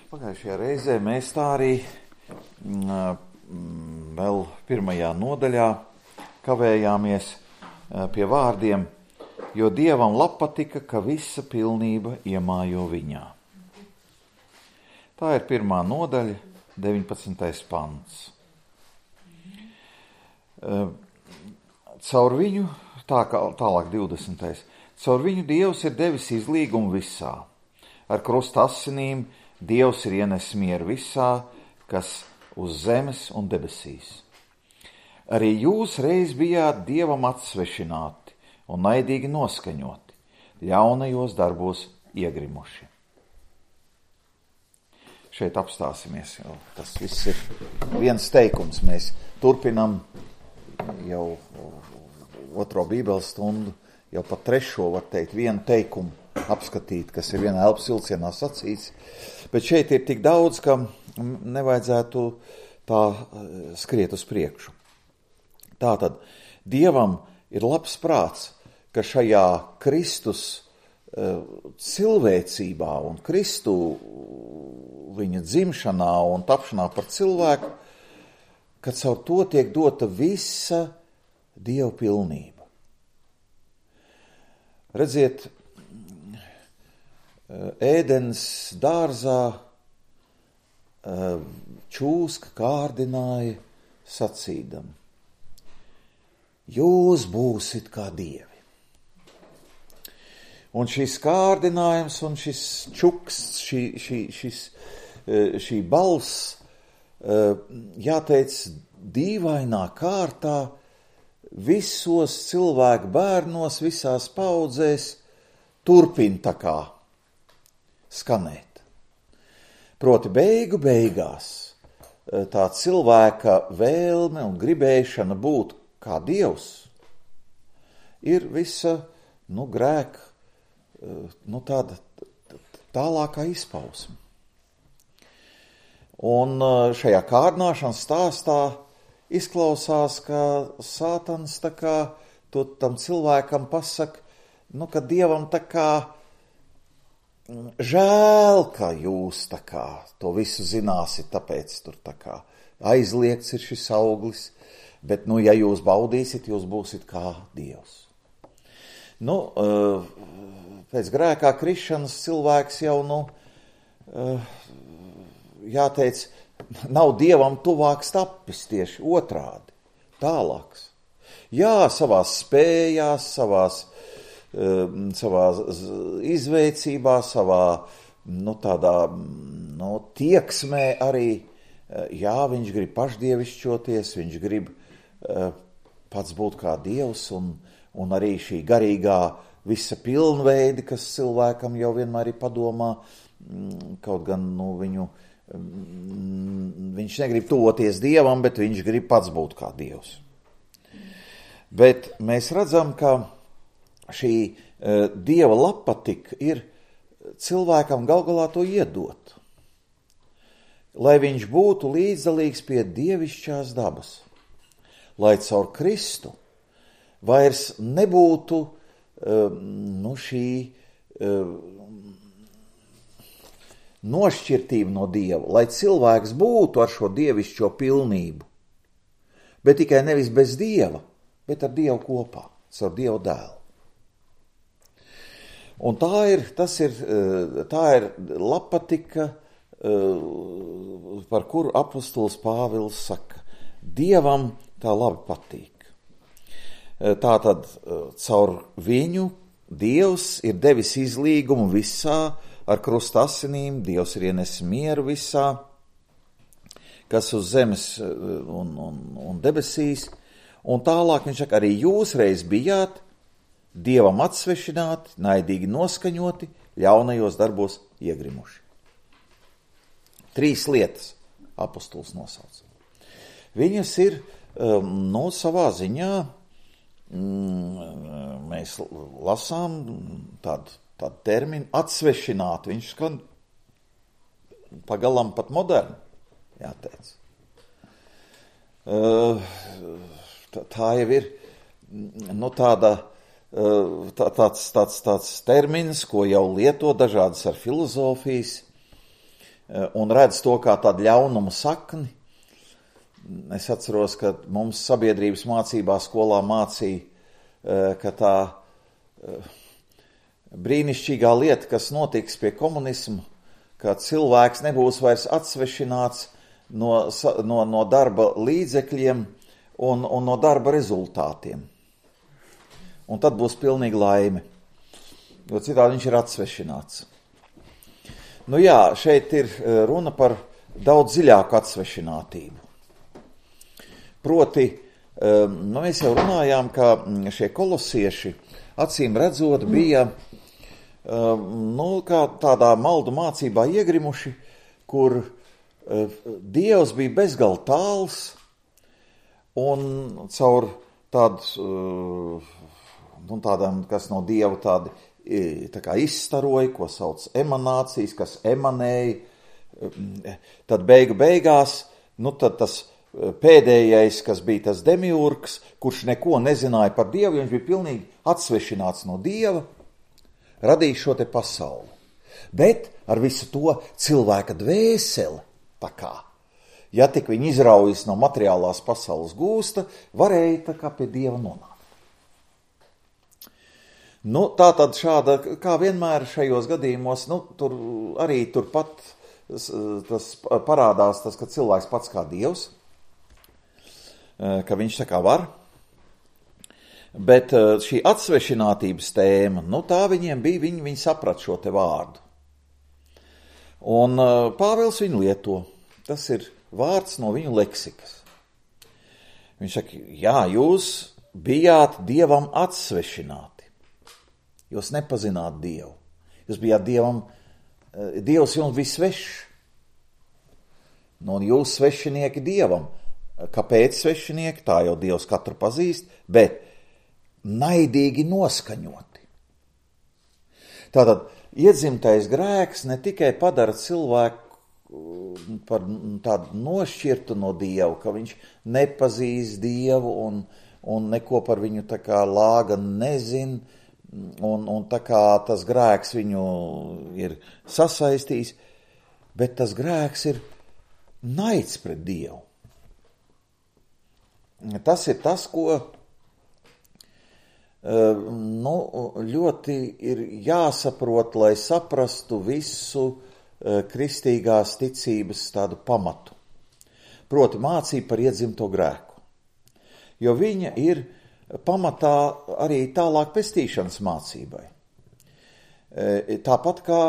Pagājušajā reizē mēs tā arī vēl pirmajā nodaļā kavējāmies pie vārdiem, jo Dievam patika, ka visa pilnība iemājo viņā. Tā ir pirmā nodaļa, 19. pants. Caur viņu, tālāk 20. Caur viņu Dievs ir devis izlīgumu visā. Ar krusta asinīm Dievs ir ienesis mieru visā, kas uz zemes un debesīs. Arī jūs reiz bijāt Dievam atsvešināti un naidīgi noskaņoti, ļaunajos darbos iegrimuši. Šeit apstāsimies, jo tas viss ir viens teikums. Mēs turpinam jau otro bībeles stundu, jau pat trešo, var teikt, vienu teikumu apskatīt, kas ir vienā elpas vilcienā sacīts. Bet šeit ir tik daudz, ka nevajadzētu tā skriet uz priekšu. Tātad Dievam ir labs prāts, ka šajā Kristus cilvēcībā un Kristu viņa dzimšanā un tapšanā par cilvēku, ka caur to tiek dota visa Dieva pilnība. Redziet, ēdens dārzā čūska kārdināja sacīdam: jūs būsit kā dievi. Un šis kārdinājums un šis čuks, šī balss, jāteic, dīvainā kārtā visos cilvēku bērnos, visās paudzēs turpina tā kā skanēt. Proti beigās tā cilvēka vēlme un gribēšana būt kā Dievs ir visa, grēka, tāda tālākā izpausme. Un šajā kārdināšanas stāstā izklausās, ka Sātans tā kā tam cilvēkam pasaka, ka Dievam tā kā žēl, ka jūs tā kā to visu zināsiet, tāpēc tur tā kā aizliegts ir šis auglis, bet, ja jūs baudīsiet, jūs būsiet kā Dievs. Pēc grēkā krišanas cilvēks jau, jāteic, nav Dievam tuvāks tapis, tieši otrādi, tālāks. Jā, savās spējās, savā izveicībā, savā, tādā, tieksmē arī, viņš grib pašdievišķoties, viņš grib pats būt kā Dievs, un arī šī garīgā visa pilnveidi, kas cilvēkam jau vienmēr ir padomā, kaut gan, viņš negrib tuvoties Dievam, bet viņš grib pats būt kā Dievs. Bet mēs redzam, ka šī Dieva labpatika ir cilvēkam gal galā to iedot, lai viņš būtu līdzdalīgs pie dievišķās dabas, lai caur Kristu vairs nebūtu šī nošķirtība no Dieva, lai cilvēks būtu ar šo dievišķo pilnību, bet tikai nevis bez Dieva, bet ar Dievu kopā, caur Dieva dēlu. Un tā ir labpatika, par kuru apostols Pāvils saka: Dievam tā labi patīk. Tātad caur viņu Dievs ir devis izlīgumu visā, ar krusta asinīm Dievs ir ienesis mieru visā, kas uz zemes un debesīs. Un tālāk viņš saka, arī jūs reiz bijāt Dievam atsvešināti, naidīgi noskaņoti, ļaunajos darbos iegrimuši. 3 lietas apostols nosauc. Viņas ir, savā ziņā, mēs lasām tādu terminu atsvešināti. Viņš skan pagalam pat moderni, jāteic. Tā jau ir, tāds termins, ko jau lieto dažādas ar filozofijas un redz to kā tādu ļaunumu sakni. Es atceros, ka mums sabiedrības mācībā skolā mācīja, ka tā brīnišķīgā lieta, kas notiks pie komunisma, ka cilvēks nebūs vairs atsvešināts no darba līdzekļiem un no darba rezultātiem. Un tad būs pilnīga laime, jo citādi viņš ir atsvešināts. Nu jā, šeit ir runa par daudz dziļāku atsvešinātību. Proti, mēs jau runājām, ka šie kolosieši, acīm redzot, bija kā tādā maldu mācībā iegrimuši, kur Dievs bija bezgalīgi tāls, un caur tādām, kas no Dieva tādi tā kā izstaroja, ko sauc emanācijas, kas emanēja, tad beigās, tad tas pēdējais, kas bija tas demiurgs, kurš neko nezināja par Dievu, viņš bija pilnīgi atsvešināts no Dieva, radīja šo te pasauli. Bet ar visu to cilvēka dvēseli, tā kā, ja tik viņi izraujas no materiālās pasaules gūsta, varēja tā kā pie Dieva nonākt. Tā tad šāda, kā vienmēr šajos gadījumos, turpat tas parādās, ka cilvēks pats kā Dievs, ka viņš tā kā var. Bet šī atsvešinātības tēma, tā viņiem bija, viņi saprat šo te vārdu. Un Pāvils viņu lieto. Tas ir vārds no viņu leksikas. Viņš saka, jā, jūs bijāt Dievam atsvešināti. Jūs nepazināt Dievu. Jūs bijāt Dievs jums bija svešs. Un jūs svešinieki Dievam. Kāpēc svešinieki? Tā jau Dievs katru pazīst, bet naidīgi noskaņoti. Tātad iedzimtais grēks ne tikai padara cilvēku par tādu nošķirtu no Dievu, ka viņš nepazīst Dievu un neko par viņu tā kā lāga nezin, un tā kā tas grēks viņu ir sasaistījis, bet tas grēks ir naids pret Dievu. Tas ir tas, ko ļoti ir jāsaprot, lai saprastu visu kristīgās ticības tādu pamatu. Proti mācība par iedzimto grēku. Jo viņa ir pamatā arī tālāk pestīšanas mācībai. Tāpat kā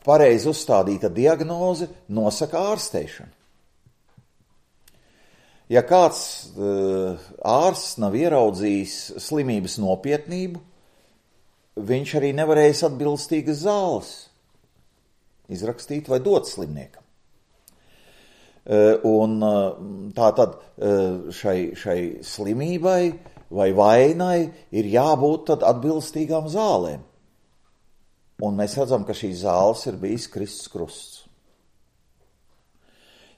pareizi uzstādīta diagnoze nosaka ārsteišanu. Ja kāds ārsts nav ieraudzījis slimības nopietnību, viņš arī nevarēs atbilstīgas zāles izrakstīt vai dot slimniekam. Un tā tad šai slimībai vai vainai ir jābūt tad atbilstīgām zālēm. Un mēs redzam, ka šīs zāles ir bijis Kristus krusts.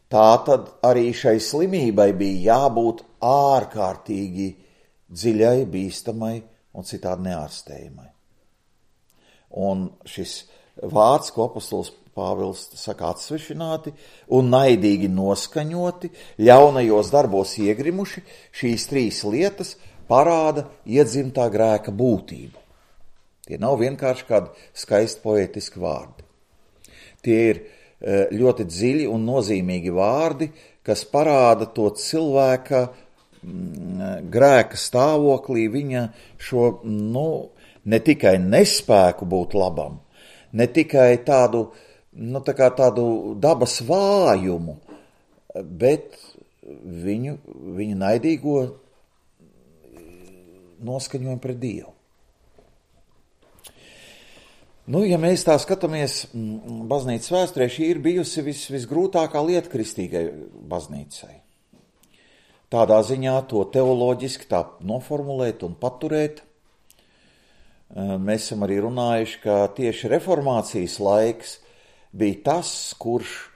Tā tad arī šai slimībai bija jābūt ārkārtīgi dziļai, bīstamai un citādi neārstējumai. Un šis vārds, ko apostols Pāvils saka atsvešināti un naidīgi noskaņoti, ļaunajos darbos iegrimuši, šīs trīs lietas parāda iedzimtā grēka būtību. Tie nav vienkārši kādi skaisti poētiski vārdi. Tie ir ļoti dziļi un nozīmīgi vārdi, kas parāda to cilvēka grēka stāvoklī, viņa šo, ne tikai nespēku būt labam, ne tikai tādu dabas vājumu, bet viņu naidīgo noskaņojumu pret Dievu. Ja mēs tā skatāmies baznīcas vēsturē, šī ir bijusi visgrūtākā lieta kristīgai baznīcai. Tādā ziņā to teoloģiski tā noformulēt un paturēt. Mēs esam arī runājuši, ka tieši reformācijas laiks bija tas, kurš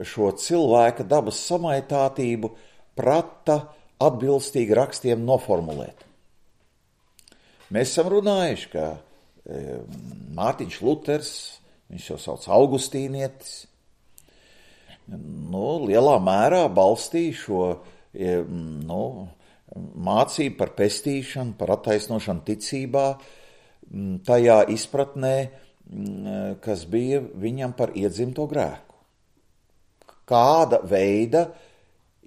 šo cilvēka dabas samaitātību prata atbilstīgi rakstiem noformulēt. Mēs esam runājuši, ka Mārtiņš Luters viņš jau sauc augustīnietis, lielā mērā balstīja šo mācību par pestīšanu, par attaisnošanu ticībā, tajā izpratnē, kas bija viņam par iedzimto grēku. Kāda veida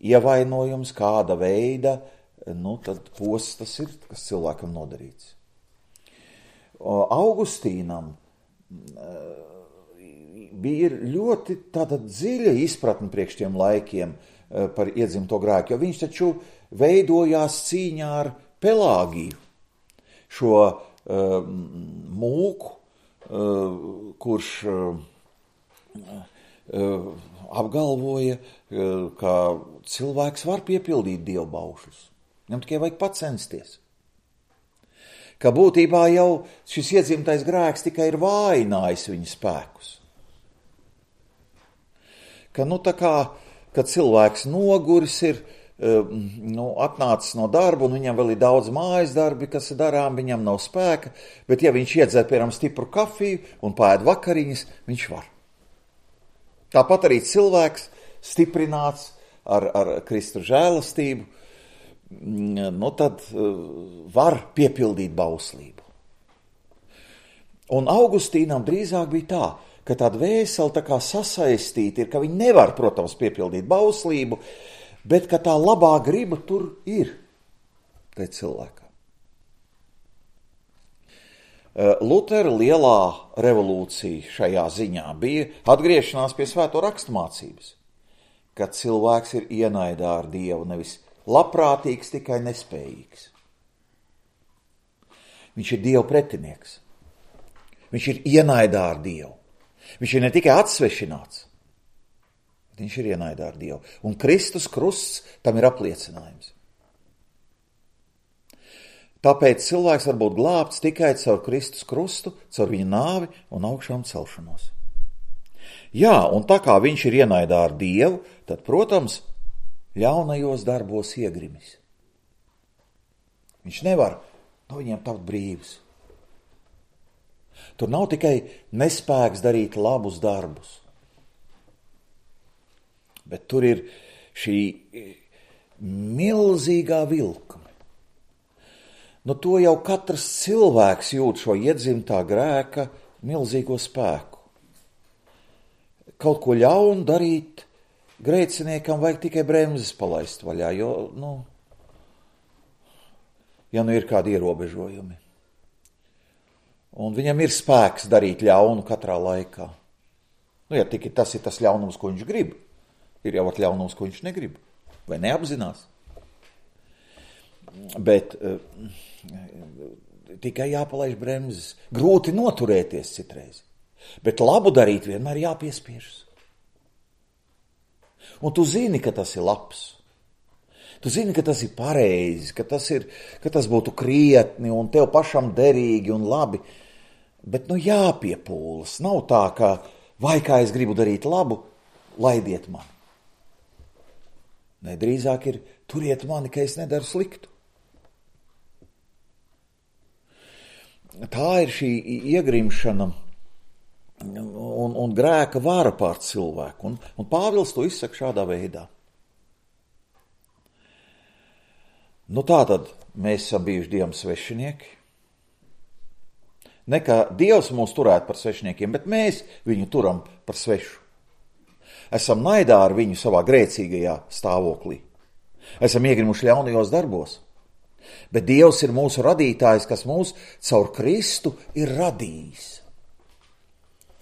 ievainojums, kāda veida, tad posts tas ir, kas cilvēkam nodarīts. Augustīnam bija ļoti tāda dziļa izpratne priekš tiem laikiem par iedzimto grēku, jo viņš taču veidojās cīņā ar Pelāgiju, šo mūku, kurš apgalvoja, ka cilvēks var piepildīt dievbaušus. Viņam tikai vajag pacensties. Ka būtībā jau šis iedzimtais grēks tikai ir vājinājis viņa spēkus. Ka tā kā, kad cilvēks noguris ir, atnācis no darba, un viņam vēl ir daudz mājas darbi, kas ir darām, viņam nav spēka, bet ja viņš iedzer, piemēram, stipru kafiju un pāēd vakariņas, viņš var. Tāpat arī cilvēks stiprināts ar Kristu žēlastību, tad var piepildīt bauslību. Un Augustīnam drīzāk bija tā, ka tā dvēsele tā kā sasaistīta ir, ka viņi nevar, protams, piepildīt bauslību, bet ka tā labā griba tur ir, tai cilvēkā. Lutera lielā revolūcija šajā ziņā bija atgriešanās pie svēto rakstu mācības, kad cilvēks ir ienaidā ar Dievu, nevis labprātīgs, tikai nespējīgs. Viņš ir Dieva pretinieks. Viņš ir ienaidā ar Dievu. Viņš ir ne tikai atsvešināts, bet viņš ir ienaidā ar Dievu. Un Kristus krusts tam ir apliecinājums. Tāpēc cilvēks var būt glābts tikai caur Kristus krustu, caur viņa nāvi un augšām celšanos. Jā, un tā kā viņš ir ienaidā ar Dievu, tad, protams, ļaunajos darbos iegrimis. Viņš nevar no viņiem tapt brīvs. Tur nav tikai nespēks darīt labus darbus, bet tur ir šī milzīgā vilkme. To jau katrs cilvēks jūt šo iedzimtā grēka milzīgo spēku. Kaut ko ļaunu darīt, grēciniekam vajag tikai bremzes palaist vaļā, jo, ja ir kādi ierobežojumi. Un viņam ir spēks darīt ļaunu katrā laikā. Ja tikai tas ir tas ļaunums, ko viņš grib, ir jau ļaunums, ko viņš negrib, vai neapzinās. Bet tikai jāpalaiž bremzes. Grūti noturēties citreiz, bet labu darīt vienmēr jāpiespiežas. Un tu zini, ka tas ir labs. Tu zini, ka tas ir pareizi, ka tas būtu krietni un tev pašam derīgi un labi. Bet jāpiepūlas. Nav tā, ka vai kā es gribu darīt labu, laidiet mani. Drīzāk ir turiet mani, ka es nedaru sliktu. Tā ir šī iegrimšana un grēka vara pār cilvēku. Un Pāvils to izsaka šādā veidā. Tātad mēs esam bijuši Dievam svešinieki. Ne kā Dievs mūs turētu par svešiniekiem, bet mēs viņu turam par svešu. Esam naidā ar viņu savā grēcīgajā stāvoklī. Esam iegrimuši ļaunajos darbos. Bet Dievs ir mūsu radītājs, kas mūs caur Kristu ir radījis.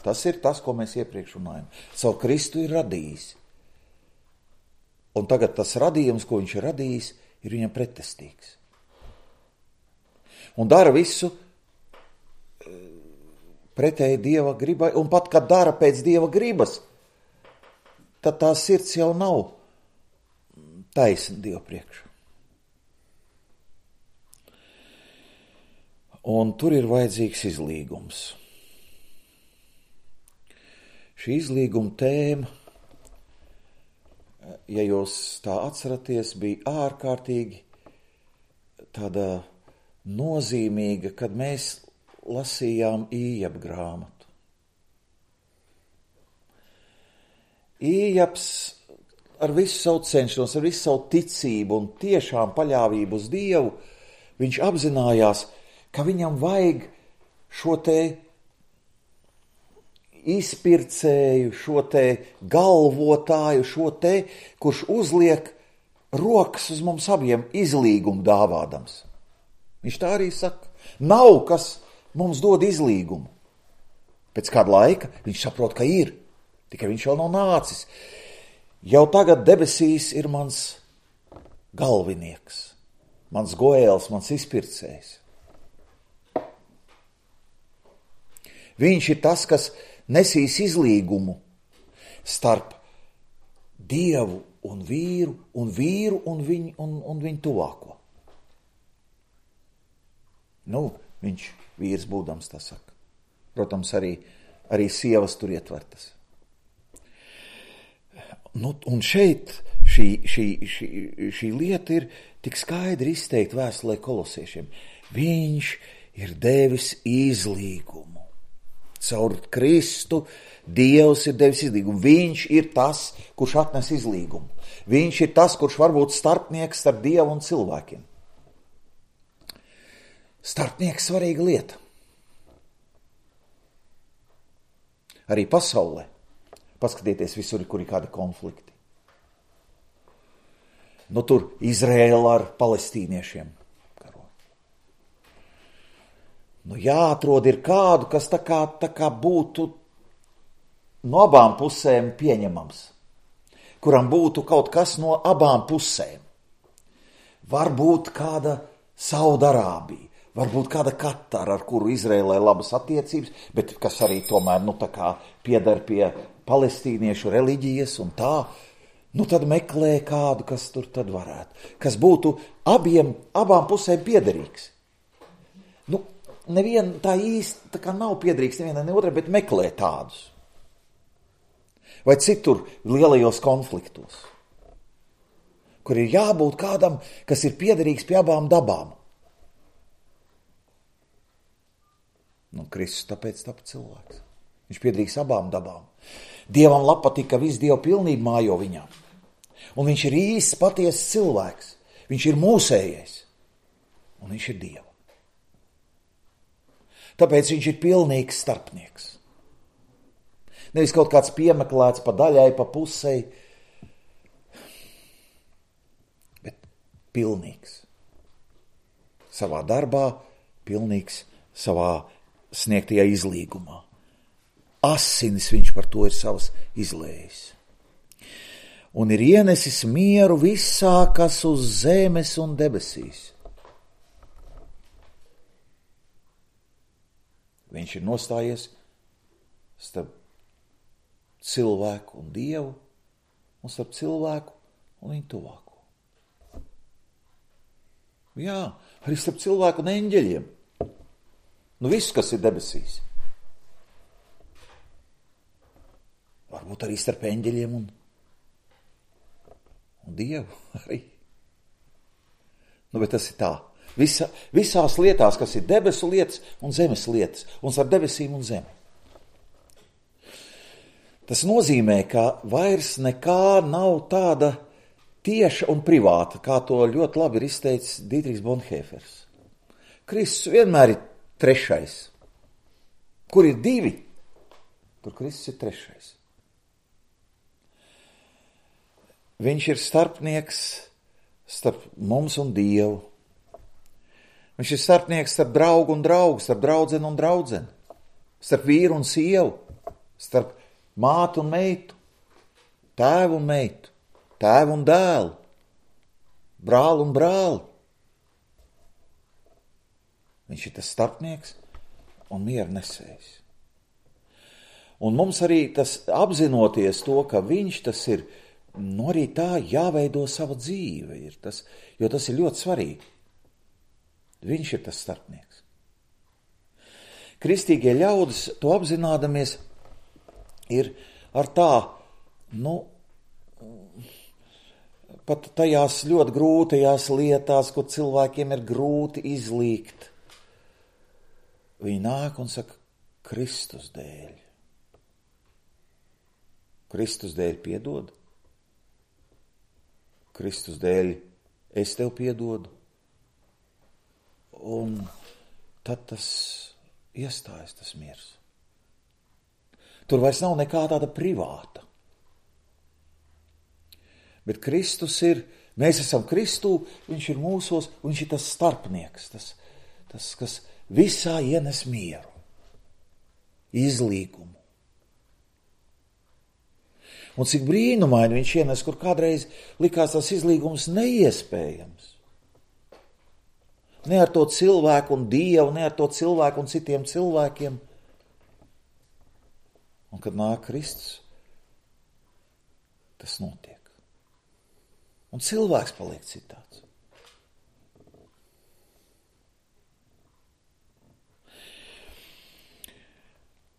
Tas ir tas, ko mēs iepriekš runājam. Caur Kristu ir radījis. Un tagad tas radījums, ko viņš ir radījis, ir viņam pretestīgs. Un dara visu pretēji Dieva gribai, un pat, kad dara pēc Dieva gribas, tad tā sirds jau nav taisna Dieva priekšā. Un tur ir vajadzīgs izlīgums. Šī izlīguma tēma, ja jūs tā atceraties, bija ārkārtīgi tāda nozīmīga, kad mēs lasījām Ījaba grāmatu. Iejaps ar visu savu cenšanos, ar visu savu ticību un tiešām paļāvību uz Dievu, viņš apzinājās, ka viņam vajag šo te izpircēju, šo te galvotāju, šo te, kurš uzliek rokas uz mums abiem izlīgumu dāvādams. Viņš tā arī saka, nav kas mums dod izlīgumu. Pēc kāda laika viņš saprot, ka ir, tikai viņš vēl nav nācis. Jau tagad debesīs ir mans galvinieks, mans goēls, mans izpircējs. Viņš ir tas, kas nesīs izlīgumu starp Dievu un vīru un viņu tuvāko. Viņš vīrs būdams tā saka. Protams, arī sievas tur ietvertas. Un šeit šī lieta ir tik skaidri izteikta vēstulē kolosiešiem. Viņš ir devis izlīgumu. Caur Kristu Dievs ir devis izlīgumu. Viņš ir tas, kurš atnes izlīgumu. Viņš ir tas, kurš var būt starpnieks starp Dievu un cilvēkiem. Starpnieks svarīga lieta. Arī pasaulē. Paskatieties visur, kur ir kādi konflikti. Tur Izraēla ar palestīniešiem karo. Jāatrod ir kādu, kas tā kā būtu no abām pusēm pieņemams. Kuram būtu kaut kas no abām pusēm. Varbūt kāda Saudarābija. Varbūt kāda Katara, ar kuru Izraēlē labas attiecības, bet kas arī tomēr piedar pie palestīniešu reliģijas un tā, tad meklē kādu, kas tur tad varētu, kas būtu abām pusēm piederīgs. Neviena tā īsti tā kā nav piederīgs nevienai ne otrai, bet meklē tādus. Vai citur lielajos konfliktos, kur ir jābūt kādam, kas ir piederīgs pie abām dabām. Kristus tāpēc tapa cilvēks. Viņš piederīgs abām dabām. Dievam patīk, ka viss Dieva pilnība mājo viņā. Un viņš ir īsts, patiesas cilvēks. Viņš ir mūsējais. Un viņš ir Dieva. Tāpēc viņš ir pilnīgs starpnieks. Nevis kaut kāds piemeklēts pa daļai, pa pusei, bet pilnīgs. Savā darbā, pilnīgs savā sniegtajā izlīgumā. Asinis viņš par to ir savas izlējis. Un ir ienesis mieru visā, kas uz zemes un debesīs. Viņš ir nostājies starp cilvēku un Dievu un starp cilvēku un viņu tuvāko. Jā, arī starp cilvēku un eņģeļiem. Viss, kas ir debesīs. Varbūt arī starp eņģeļiem un Dievu arī. Bet tas ir tā. Visās lietās, kas ir debesu lietas un zemes lietas, un starp debesīm un zemi. Tas nozīmē, ka vairs nekā nav tāda tieša un privāta, kā to ļoti labi ir izteicis Dietrichs Bonhoeffers. Kristus vienmēr ir trešais. Kur ir divi, tur Kristus ir trešais. Viņš ir starpnieks starp mums un Dievu. Viņš ir starpnieks starp draugu un draugu, starp draudzeni un draudzeni, starp vīru un sievu, starp mātu un meitu, tēvu un meitu, tēvu un dēlu, brāli un brāli. Viņš ir tas starpnieks un miera nesējs. Un mums arī tas apzinoties to, ka viņš tas ir, arī tā jāveido sava dzīve, jo tas ir ļoti svarīgi. Viņš ir tas starpnieks. Kristīgie ļaudis, to apzinādamies, ir ar tā, pat tajās ļoti grūtajās lietās, kur cilvēkiem ir grūti izlīgt. Viņi nāk un saka, Kristus dēļ. Kristus dēļ piedod. Kristus dēļ es tev piedodu. Un tad tas iestājas, tas miers. Tur vairs nav nekā tāda privāta. Bet Kristus ir, mēs esam Kristū, viņš ir mūsos, viņš ir tas starpnieks, tas kas visā ienes mieru, izlīgumu. Un cik brīnumaini viņš ienes, kur kādreiz likās tas izlīgums neiespējams. Ne ar to cilvēku un Dievu, ne ar to cilvēku un citiem cilvēkiem. Un kad nāk Kristus, tas notiek. Un cilvēks paliek citāds.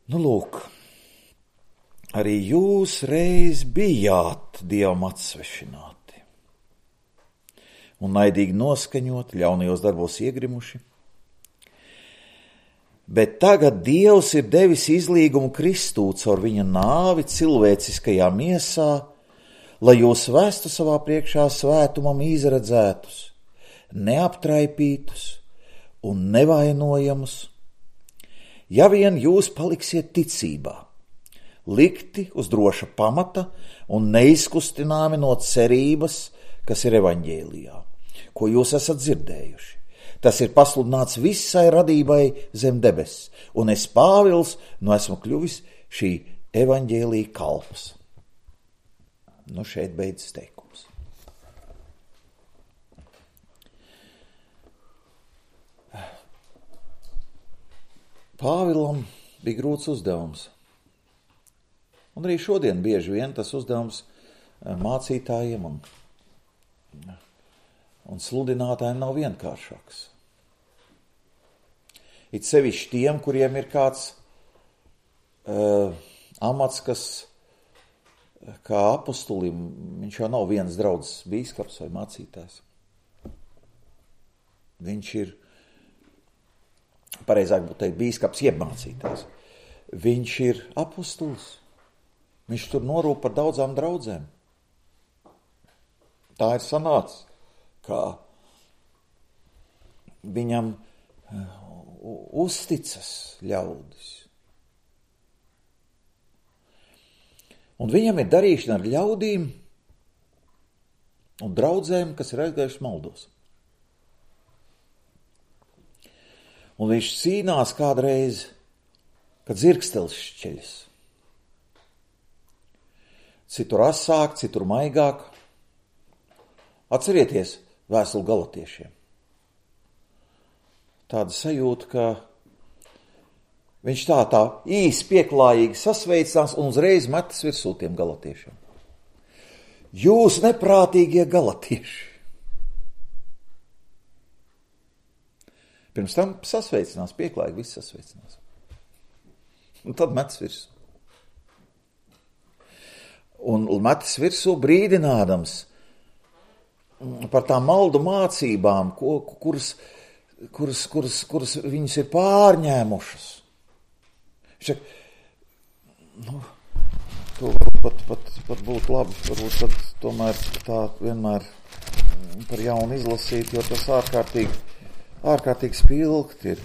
Nu, lūk, arī jūs reiz bijāt Dievam atsvešināti un naidīgi noskaņoti, ļaunajos darbos iegrimuši. Bet tagad Dievs ir devis izlīgumu Kristū caur viņa nāvi cilvēciskajā miesā, lai jūs vestu savā priekšā svētumam izredzētus, neaptraipītus un nevainojamus, ja vien jūs paliksiet ticībā, likti uz droša pamata un neizkustināmi no cerības, kas ir evaņģēlijā, ko jūs esat dzirdējuši. Tas ir pasludināts visai radībai zem debess, un es, Pāvils, esmu kļuvis šī evaņģēlija kalps. Nu, šeit beidzas teikums. Pāvilam bija grūts uzdevums. Un arī šodien bieži vien tas uzdevums mācītājiem un sludinātājiem nav vienkāršāks. It sevišķi tiem, kuriem ir kāds amats, kas kā apostolim, viņš jau nav viens draudzes bīskaps vai mācītājs. Viņš ir, pareizāk būtu teikt, bīskaps jeb mācītājs. Viņš ir apostols. Viņš tur norūp par daudzām draudzēm. Tā ir sanācis, kā viņam uzticas ļaudis. Un viņam ir darīšana ar ļaudīm un draudzēm, kas ir aizgājušas maldos. Un viņš cīnās kādreiz, kad dzirkstelis šķeļas. Citur asāk, citur maigāk. Atcerieties vēstuli galatiešiem. Tāda sajūta, ka viņš tā īsi pieklājīgi sasveicinās un uzreiz metas virsū tiem galatiešiem. Jūs neprātīgie galatieši! Pirms tam sasveicinās, pieklājīgi viss sasveicinās. Un tad metas virsū. Un metas virsū brīdinādams par tām maldu mācībām, kuras viņas ir pārņēmušas. To pat būtu labi, varbūt tad tomēr tā vienmēr par jaunu izlasīt, jo tas ārkārtīgi spilgt ir.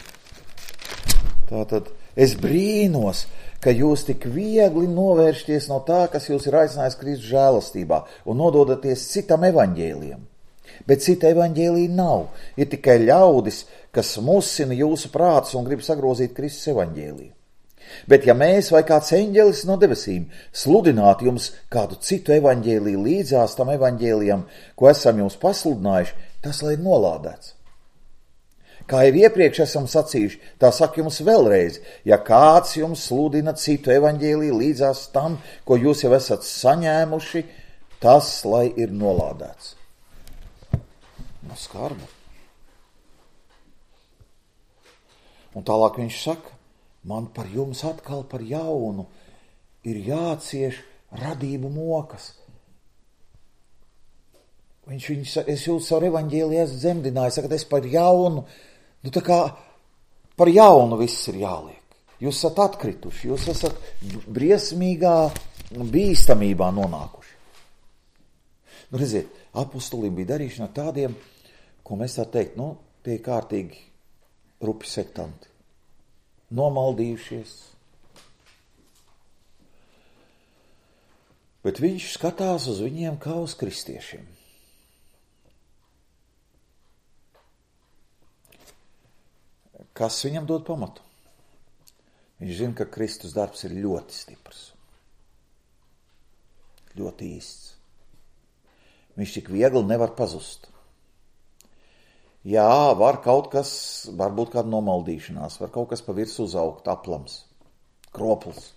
Tātad es brīnos, ka jūs tik viegli novēršties no tā, kas jūs ir aicinājis Kristus žēlastībā un nododaties citam evaņģēlijam. Bet cita evaņģēlija nav. Ir tikai ļaudis, kas musina jūsu prātus un grib sagrozīt Kristus evaņģēliju. Bet ja mēs vai kāds eņģelis no debesīm sludinātu jums kādu citu evaņģēliju līdzās tam evaņģēlijam, ko esam jums pasludinājuši, tas lai ir nolādēts. Kā jau iepriekš esam sacījuši, tā saka jums vēlreiz, ja kāds jums sludina citu evaņģēliju līdzās tam, ko jūs jau esat saņēmuši, tas lai ir nolādēts. No skarba. Un tālāk viņš saka, man par jums atkal par jaunu ir jācieš radību mokas. Es jūs savu evaņģēliju esmu dzemdinājis, saka, es par jaunu, tā kā par jaunu viss ir jāliek. Jūs esat atkrituši, jūs esat briesmīgā bīstamībā nonākuši. Nu, redziet, apostuliem bija darīšana ar tādiem, ko mēs tā teikt, tie kārtīgi rupi sektanti. Nomaldījušies. Bet viņš skatās uz viņiem kā uz kristiešiem. Kas viņam dod pamatu? Viņš zina, ka Kristus darbs ir ļoti stiprs. Ļoti īsts. Viņš tik viegli nevar pazust. Jā, var kaut kas, varbūt kāda nomaldīšanās, var kaut kas pa virsu uzaugt, aplams, kropls.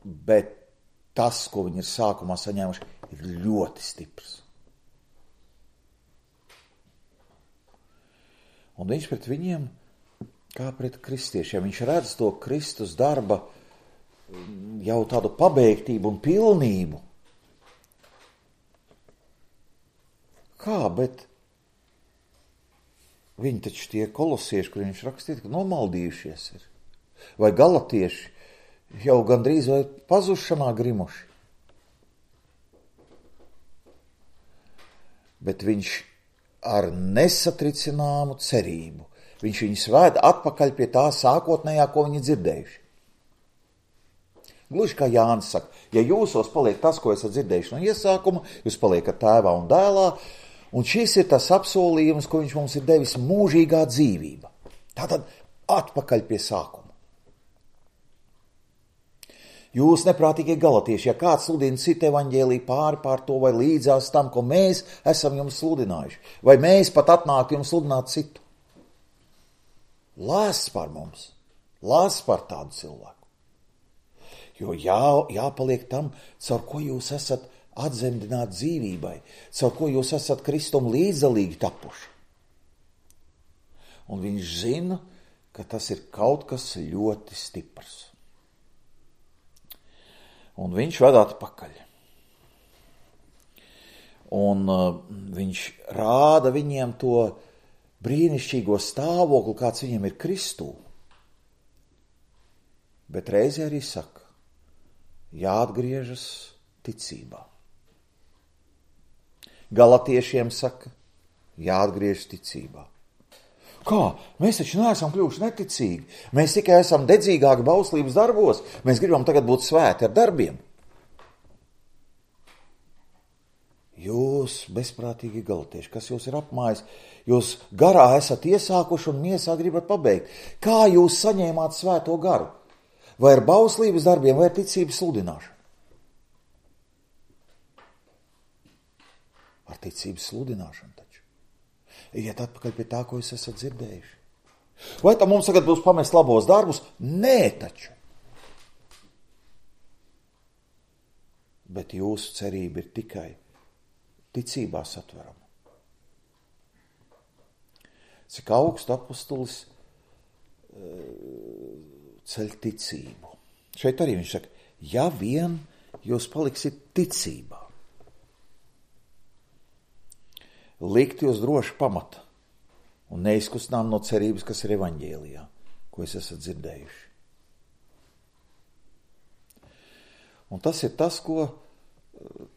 Bet tas, ko viņi ir sākumā saņēmuši, ir ļoti stiprs. Un viņš pret viņiem, kā pret kristiešiem, viņš redz to Kristus darba jau tādu pabeigtību un pilnību. Kā, bet viņi taču tie kolosieši, kur viņš rakstīja, ka nomaldījušies ir. Vai galatieši jau gandrīz vai pazušanā grimuši. Bet viņš ar nesatricināmu cerību, viņš viņus vēd atpakaļ pie tā sākotnējā, ko viņi dzirdējuši. Gluži kā Jānis saka, ja jūsos paliek tas, ko esat dzirdējuši no iesākuma, jūs paliekat tēvā un dēlā, un šis ir tas apsolījums, ko viņš mums ir devis, mūžīgā dzīvība. Tātad atpakaļ pie sākuma. Jūs neprātīgie galatieši, ja kāds sludina citu evaņģēliju pār to vai līdzās tam, ko mēs esam jums sludinājuši, vai mēs pat atnāktu jums sludināt citu. Lās par mums, lās par tādu cilvēku. Jo jāpaliek tam, caur ko jūs esat atzemdināti dzīvībai, caur ko jūs esat Kristum līdzdalīgi tapuši. Un viņš zina, ka tas ir kaut kas ļoti stiprs. Un viņš ved atpakaļ. Un viņš rāda viņiem to brīnišķīgo stāvokli, kāds viņiem ir Kristū. Bet reizē arī saka, jāatgriežas ticībā. Galatiešiem saka, jāatgriežas ticībā. Kā? Mēs taču neesam kļuvuši neticīgi. Mēs tikai esam dedzīgāki bauslības darbos. Mēs gribam tagad būt svēti ar darbiem. Jūs, bezprātīgi galatieši, kas jūs ir apmājis, jūs garā esat iesākuši un miesā gribat pabeigt. Kā jūs saņēmāt svēto garu? Vai ar bauslības darbiem, vai ar ticības sludināšanu? Ar ticības sludināšanu taču. Iet atpakaļ pie tā, ko jūs esat dzirdējuši. Vai tam mums tagad būs pamest labos darbus? Nē, taču. Bet jūsu cerība ir tikai ticībā satverama. Cik augstu apostolis ceļ ticību. Šeit arī viņš saka, ja vien jūs paliksiet ticībā, likt jūs droši pamata un neizkustinām no cerības, kas ir evaņģēlijā, ko jūs esat dzirdējuši. Un tas ir tas, ko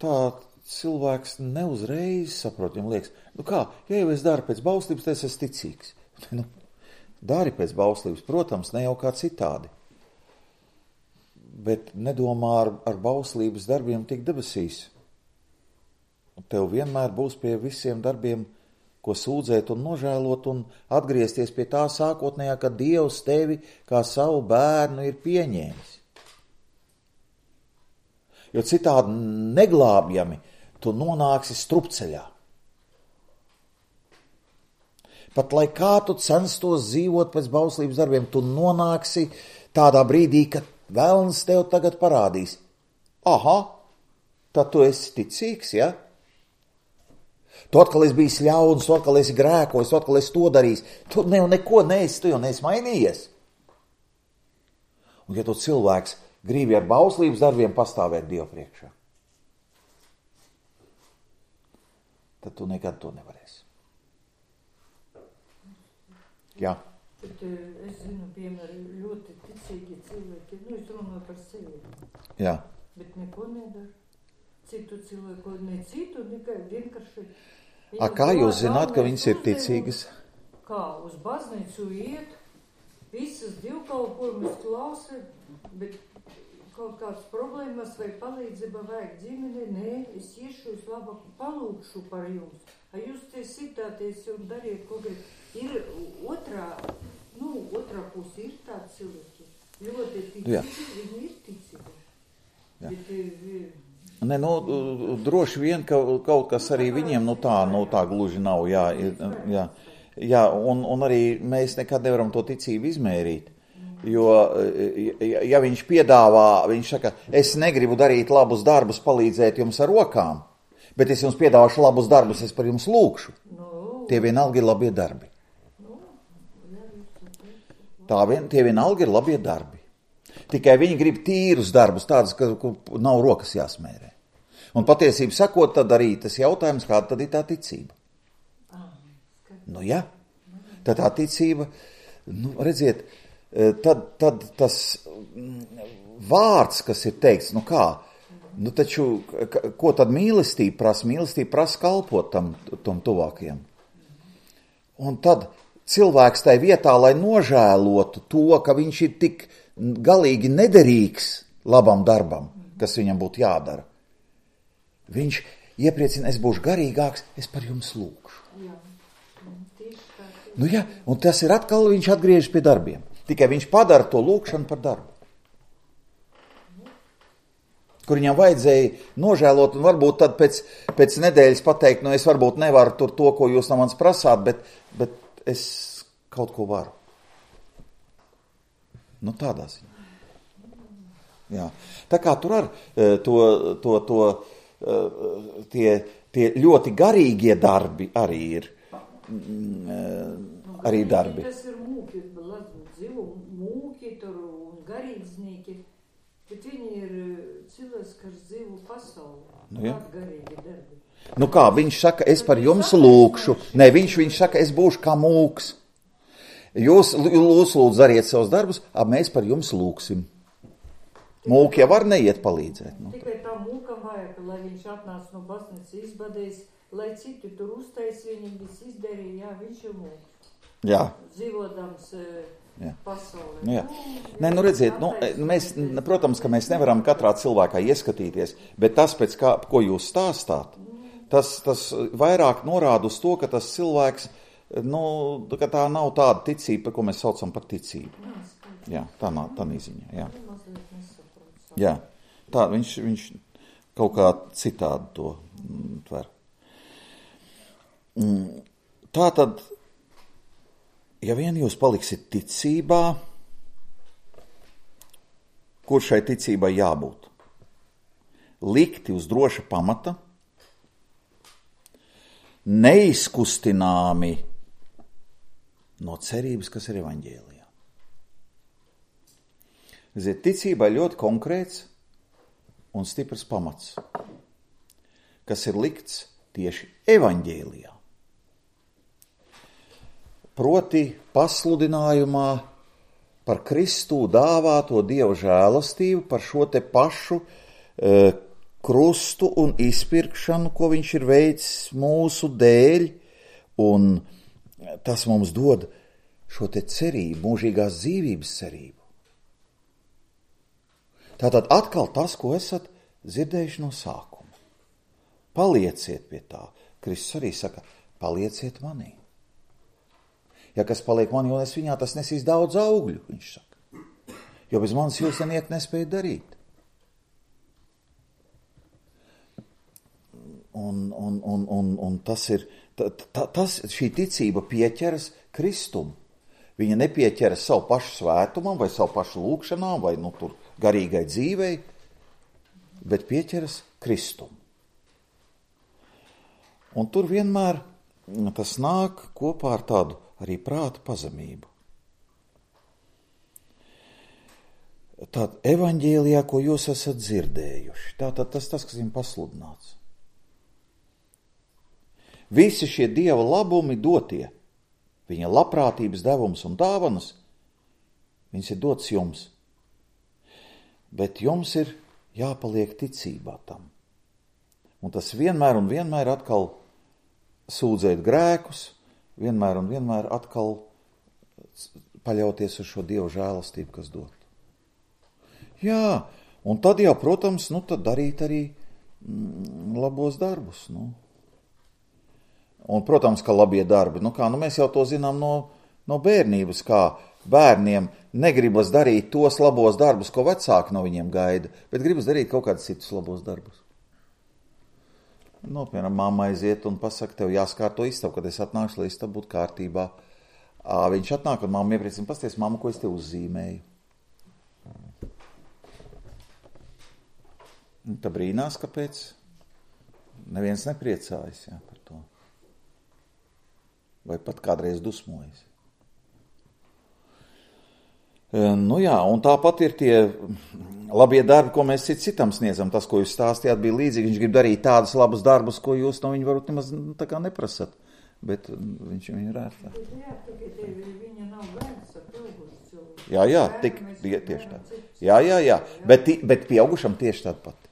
tā cilvēks neuzreiz saprot. Viņam liekas, kā, ja jau es daru pēc bauslības, tad es esmu ticīgs. Dari pēc bauslības, protams, ne jau kā citādi. Bet nedomā ar bauslības darbiem tik debesīs. Tev vienmēr būs pie visiem darbiem, ko sūdzēt un nožēlot un atgriezties pie tā sākotnējā, ka Dievs tevi kā savu bērnu ir pieņēmis. Jo citādi neglābjami tu nonāksi strupceļā. Pat lai kā tu censtos dzīvot pēc bauslības darbiem, tu nonāksi tādā brīdī, kad velns tev tagad parādīs. Aha, tad tu esi ticīgs, ja? Tu atkal esi bijis ļauns, tu atkal esi grēkojis, tu atkal esi to darījis. Tu neko neesi, tu jau neesi mainījies. Un ja tu cilvēks gribi ar bauslības darbiem pastāvēt Dievu priekšā, tad tu nekad to nevarēsi. Jā. Bet es zinu, piemēram, ļoti ticīgi cilvēki, es runāju par sevi. Jā. Bet neko nedara. Citu cilvēku, ne citu, vienkārši. Kā jūs zināt, ka viņas ir ticīgas? Kā, uz baznīcu iet, visas divkalpojumus klausa, bet kaut kādas problēmas vai palīdzība vajag ģimene, nē, es iešu, es labāk palūkšu par jums. Jūs te sitāties un dariet, ko grib. Ir otrā puse, ir tādi cilvēki. Ļoti ticīgi, viņi ir ticīgi. Bet, droši vien, ka kaut kas arī viņiem, tā gluži nav, jā, un arī mēs nekad nevaram to ticību izmērīt. Jo, ja viņš piedāvā, viņš saka, es negribu darīt labus darbus, palīdzēt jums ar rokām, bet es jums piedāvāšu labus darbus, es par jums lūkšu. Tie vienalga ir labie darbi. Tie vienalga ir labie darbi. Tikai viņi grib tīrus darbus, tādus, ka nav rokas jāsmērē. Un patiesību sakot, tad arī tas jautājums, kāda tad ir tā ticība. Jā, tad tā ticība, redziet, tad tas vārds, kas ir teikts, taču, ko tad mīlestība prasa? Mīlestība prasa kalpot tam tuvākajam. Un tad cilvēks tai vietā, lai nožēlotu to, ka viņš ir tik galīgi nederīgs labam darbam, kas viņam būtu jādara, viņš iepriecina, es būšu garīgāks, es par jums lūkšu. Un tas ir atkal, viņš atgriežas pie darbiem. Tikai viņš padara to lūkšanu par darbu. Kur viņam vajadzēja nožēlot, un varbūt tad pēc nedēļas pateikt, es varbūt nevaru tur to, ko jūs no manis prasāt, bet es kaut ko varu. Tādā ziņā. Jā. Tā kā tur ar tie ļoti garīgie darbi arī ir. Arī darbi. Tas ir mūki, mūki tur un garīdznieki, bet viņi ir cilvēks, kas dzīvo pasaulē. Garīgi darbi. Viņš saka, es par jums lūkšu. Nē, viņš saka, es būšu kā mūks. Jūs lūdzu dariet savus darbus, mēs par jums lūksim. Mūki jau var neiet palīdzēt. Tikai tā mūkam vajag, lai viņš atnāc no baznīcas izbadējis, lai citi tur uztais viņam viss izdarīja, viņš ir mūks. Jā. Dzīvodams pasaulē. Jā. Redziet, mēs, protams, ka mēs nevaram katrā cilvēkā ieskatīties, bet tas, ko jūs stāstāt, tas vairāk norāda uz to, ka tas cilvēks, ka tā nav tāda ticība, ko mēs saucam par ticību. Jā, tā nav tā ziņa. Jā. Tā viņš kaut kā citādi to tver. Tā tad, ja vien jūs paliksiet ticībā, kur šai ticībai jābūt? Likti uz droša pamata, neizkustināmi no cerības, kas ir evaņģēlijā. Ticībai ļoti konkrēts un stiprs pamats, kas ir likts tieši evaņģēlijā. Proti pasludinājumā par Kristu dāvāto Dieva žēlastību, par šo te pašu krustu un izpirkšanu, ko viņš ir veicis mūsu dēļ, un tas mums dod šo te cerību, mūžīgās dzīvības cerību. Tātad atkal tas, ko esat dzirdējuši no sākuma. Palieciet pie tā. Kristus arī saka, palieciet manī. Ja kas paliek manī un es viņā, tas nesīs daudz augļu, viņš saka. Jo bez manis jūs neniek nespēja darīt. Un tas ir, šī ticība pieķeras Kristum. Viņa nepieķeras savu pašu svētumam vai savu pašu lūkšanām vai tur garīgai dzīvei, bet pieķeras Kristum. Un tur vienmēr tas nāk kopā ar tādu arī prāta pazemību. Tātad evaņģēlijā, ko jūs esat dzirdējuši, tātad tas, kas viņam pasludināts. Visi šie Dieva labumi dotie, viņa labprātības devums un dāvanas, viņas ir dots jums. Bet jums ir jāpaliek ticībā tam. Un tas vienmēr un vienmēr atkal sūdzēt grēkus, vienmēr un vienmēr atkal paļauties uz šo Dievu žēlastību, kas dot. Jā, un tad jau, protams, tad darīt arī labos darbus. Un, protams, ka labie darbi. Mēs jau to zinām no bērnības, kā bērniem negribas darīt tos labos darbus, ko vecāki no viņiem gaida, bet gribas darīt kaut kādus citus labos darbus. Piemēram, mamma aiziet un pasaka, tev jāskārto istabu, kad es atnākšu, lai istabu būtu kārtībā. Viņš atnāk un mamma iepriecina, pasties, mamma, ko es te uzzīmēju. Tā brīnās, kāpēc neviens nepriecājas par to. Vai pat kādreiz dusmojas. Un tāpat ir tie labie darbi, ko mēs citam sniedzam. Tas, ko jūs stāstījāt, bija līdzīgi. Viņš grib darīt tādus labus darbus, ko jūs no viņa varbūt nemaz tā kā neprasat. Bet viņš viņu rērtā. Jā, tikai viņa nav bērns ar pieaugušu cilvēku. Jā, tieši tā. Jā. Bet pieaugušam tieši tāda pati.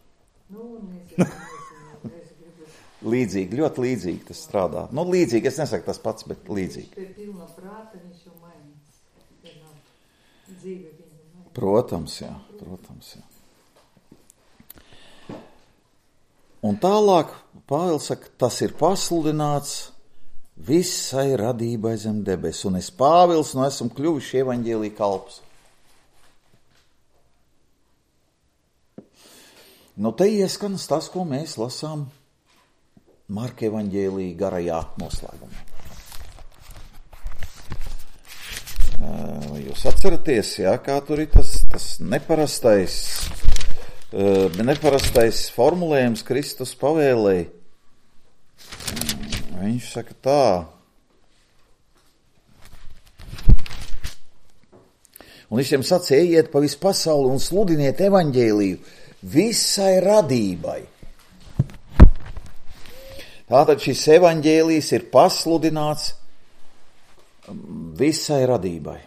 Līdzīgi, ļoti līdzīgi tas strādā. Līdzīgi, es nesaku tas pats, bet līdzīgi. Pie pilna prāta viņš jau mainās. Dzīve viņa mainās. Protams, jā. Un tālāk Pāvils saka, tas ir pasludināts visai radībai zem debes, un es Pāvils esmu kļuvis evaņģēlija kalps. Te ieskanas tas, ko mēs lasām Marka evaņģēlija garajā noslēgumā. Jūs atceraties, kā tur ir tas neparastais formulējums Kristus pavēlēja. Viņš saka tā. Un viņš jiem sacīja, ejiet pa visu pasauli un sludiniet evaņģēliju visai radībai. Tātad šis evaņģēlijs ir pasludināts visai radībai.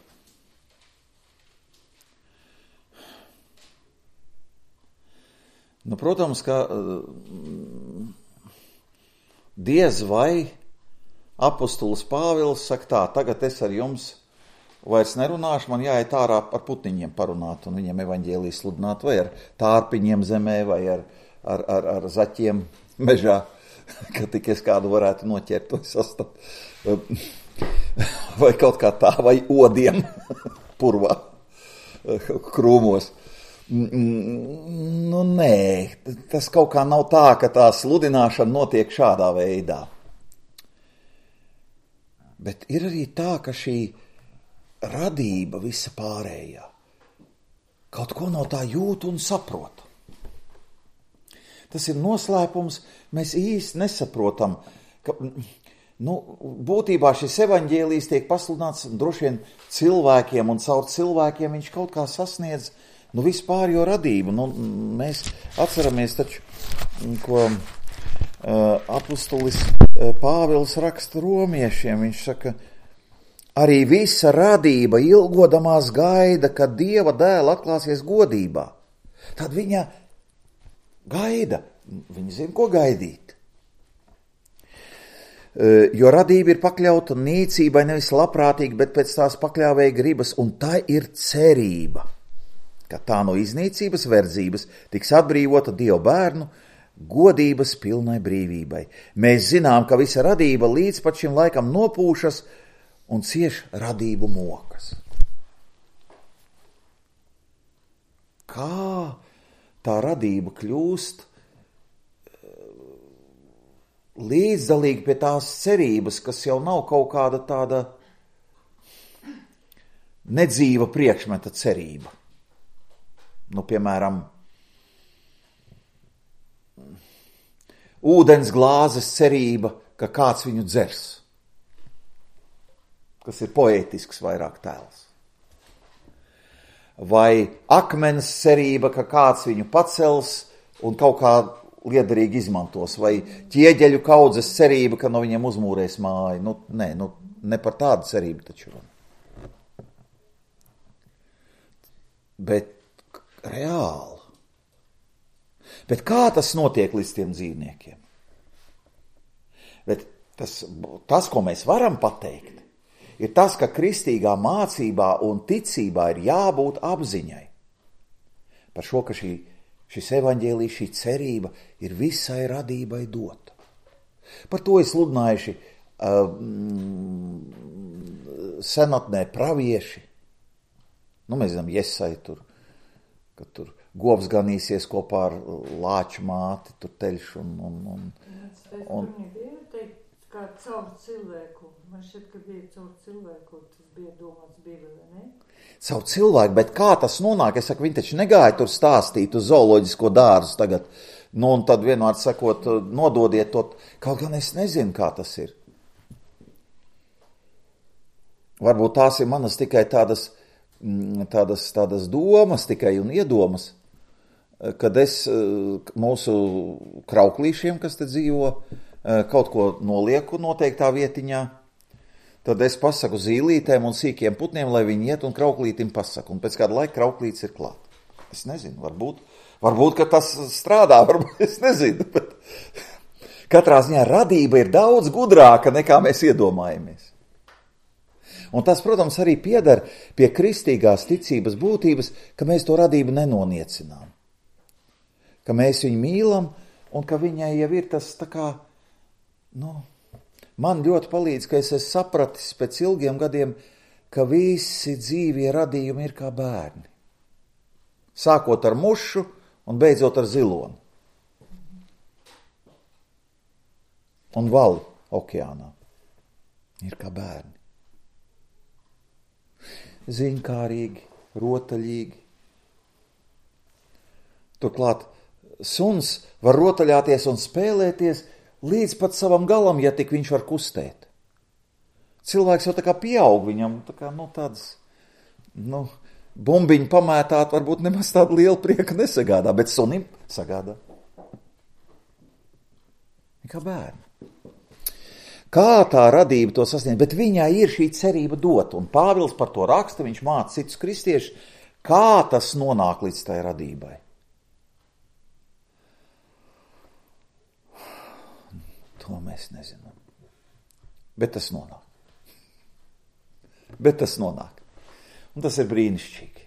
Protams, ka diez vai apostols Pāvils saka tā, tagad es ar jums vairs nerunāšu, man jāiet ārā ar putniņiem parunāt un viņiem evaņģēliju sludināt, vai ar tārpiņiem zemē, vai ar zaķiem mežā, ka tik es kādu varētu noķert to sastapt. Vai kaut kā tā, vai odiem purvā, krūmos. Nē, tas kaut kā nav tā, ka tā sludināšana notiek šādā veidā. Bet ir arī tā, ka šī radība visa pārējā kaut ko no tā jūt un saprot. Tas ir noslēpums, mēs īsti nesaprotam, ka būtībā šis evaņģēlijs tiek pasludināts droši vien cilvēkiem, un caur cilvēkiem viņš kaut kā sasniedz vispārējo radību. Mēs atceramies taču, ko apostolis Pāvils raksta romiešiem. Viņš saka, arī visa radība ilgodamās gaida, kad Dieva dēla atklāsies godībā. Tad viņa gaida, viņa zina, ko gaidīt. Jo radība ir pakļauta nīcībai nevis labprātīgi, bet pēc tās pakļāvēja gribas, un tā ir cerība, ka tā no iznīcības verdzības tiks atbrīvota Dieva bērnu godības pilnai brīvībai. Mēs zinām, ka visa radība līdz pat šim laikam nopūšas un cieš radību mokas. Kā tā radība kļūst līdzdalīgi pie tās cerības, kas jau nav kaut kāda tāda nedzīva priekšmeta cerība. Piemēram, ūdens glāzes cerība, ka kāds viņu dzers, kas ir poētisks vairāk tēls. Vai akmens cerība, ka kāds viņu pacels un kaut kā liederīgi izmantos, vai ķieģeļu kaudzes cerība, ka no viņiem uzmūrēs māju. Ne par tādu cerību taču. Bet reāli. Bet kā tas notiek līdz tiem dzīvniekiem? Bet tas, ko mēs varam pateikt, ir tas, ka kristīgā mācībā un ticībā ir jābūt apziņai. Par šo, ka šis evaņģēlijs, šī cerība ir visai radībai dota. Par to ir sludinājuši senatnē pravieši. Mēs zinām, Jesai kad tur govs ganīsies kopā ar lāču māti, tur teļš un bija teikt, kā caur cilvēku. Man šķiet, ka bija caur cilvēku, tas bija domāts Bībelē, ne? Caur cilvēku, bet kā tas nonāk? Es saku, viņi taču negāja tur stāstīt uz zooloģisko dārzu tagad. Un tad vienmēr sakot, nododiet to, kaut gan es nezinu, kā tas ir. Varbūt tās ir manas tikai tādas domas tikai un iedomas, kad es mūsu krauklīšiem, kas te dzīvo, kaut ko nolieku noteiktā vietiņā, tad es pasaku zīlītēm un sīkiem putniem, lai viņi iet un krauklītim pasaku. Un pēc kāda laika krauklītis ir klāt. Es nezinu, varbūt ka tas strādā, varbūt es nezinu, bet katrā ziņā radība ir daudz gudrāka nekā mēs iedomājamies. Un tas, protams, arī pieder pie kristīgās ticības būtības, ka mēs to radību nenoniecinām. Ka mēs viņu mīlam un ka viņai jau ir tas tā kā, man ļoti palīdz, ka es esmu sapratis pēc ilgiem gadiem, ka visi dzīvie radījumi ir kā bērni. Sākot ar mušu un beidzot ar ziloni. Un vali okeānā ir kā bērni. Ziņkārīgi, rotaļīgi. Turklāt suns var rotaļāties un spēlēties līdz pat savam galam, ja tik viņš var kustēt. Cilvēks jau tā kā pieaug, viņam tā kā, tādas, bumbiņu pamētāt varbūt nemaz tādu lielu prieku nesagādā, bet sunim sagādā. Kā bērni. Kā tā radība to sasniedz, bet viņai ir šī cerība dot, un Pāvils par to raksta, viņš māca citus kristiešus, kā tas nonāk līdz tai radībai. To mēs nezinām. Bet tas nonāk. Un tas ir brīnišķīgi.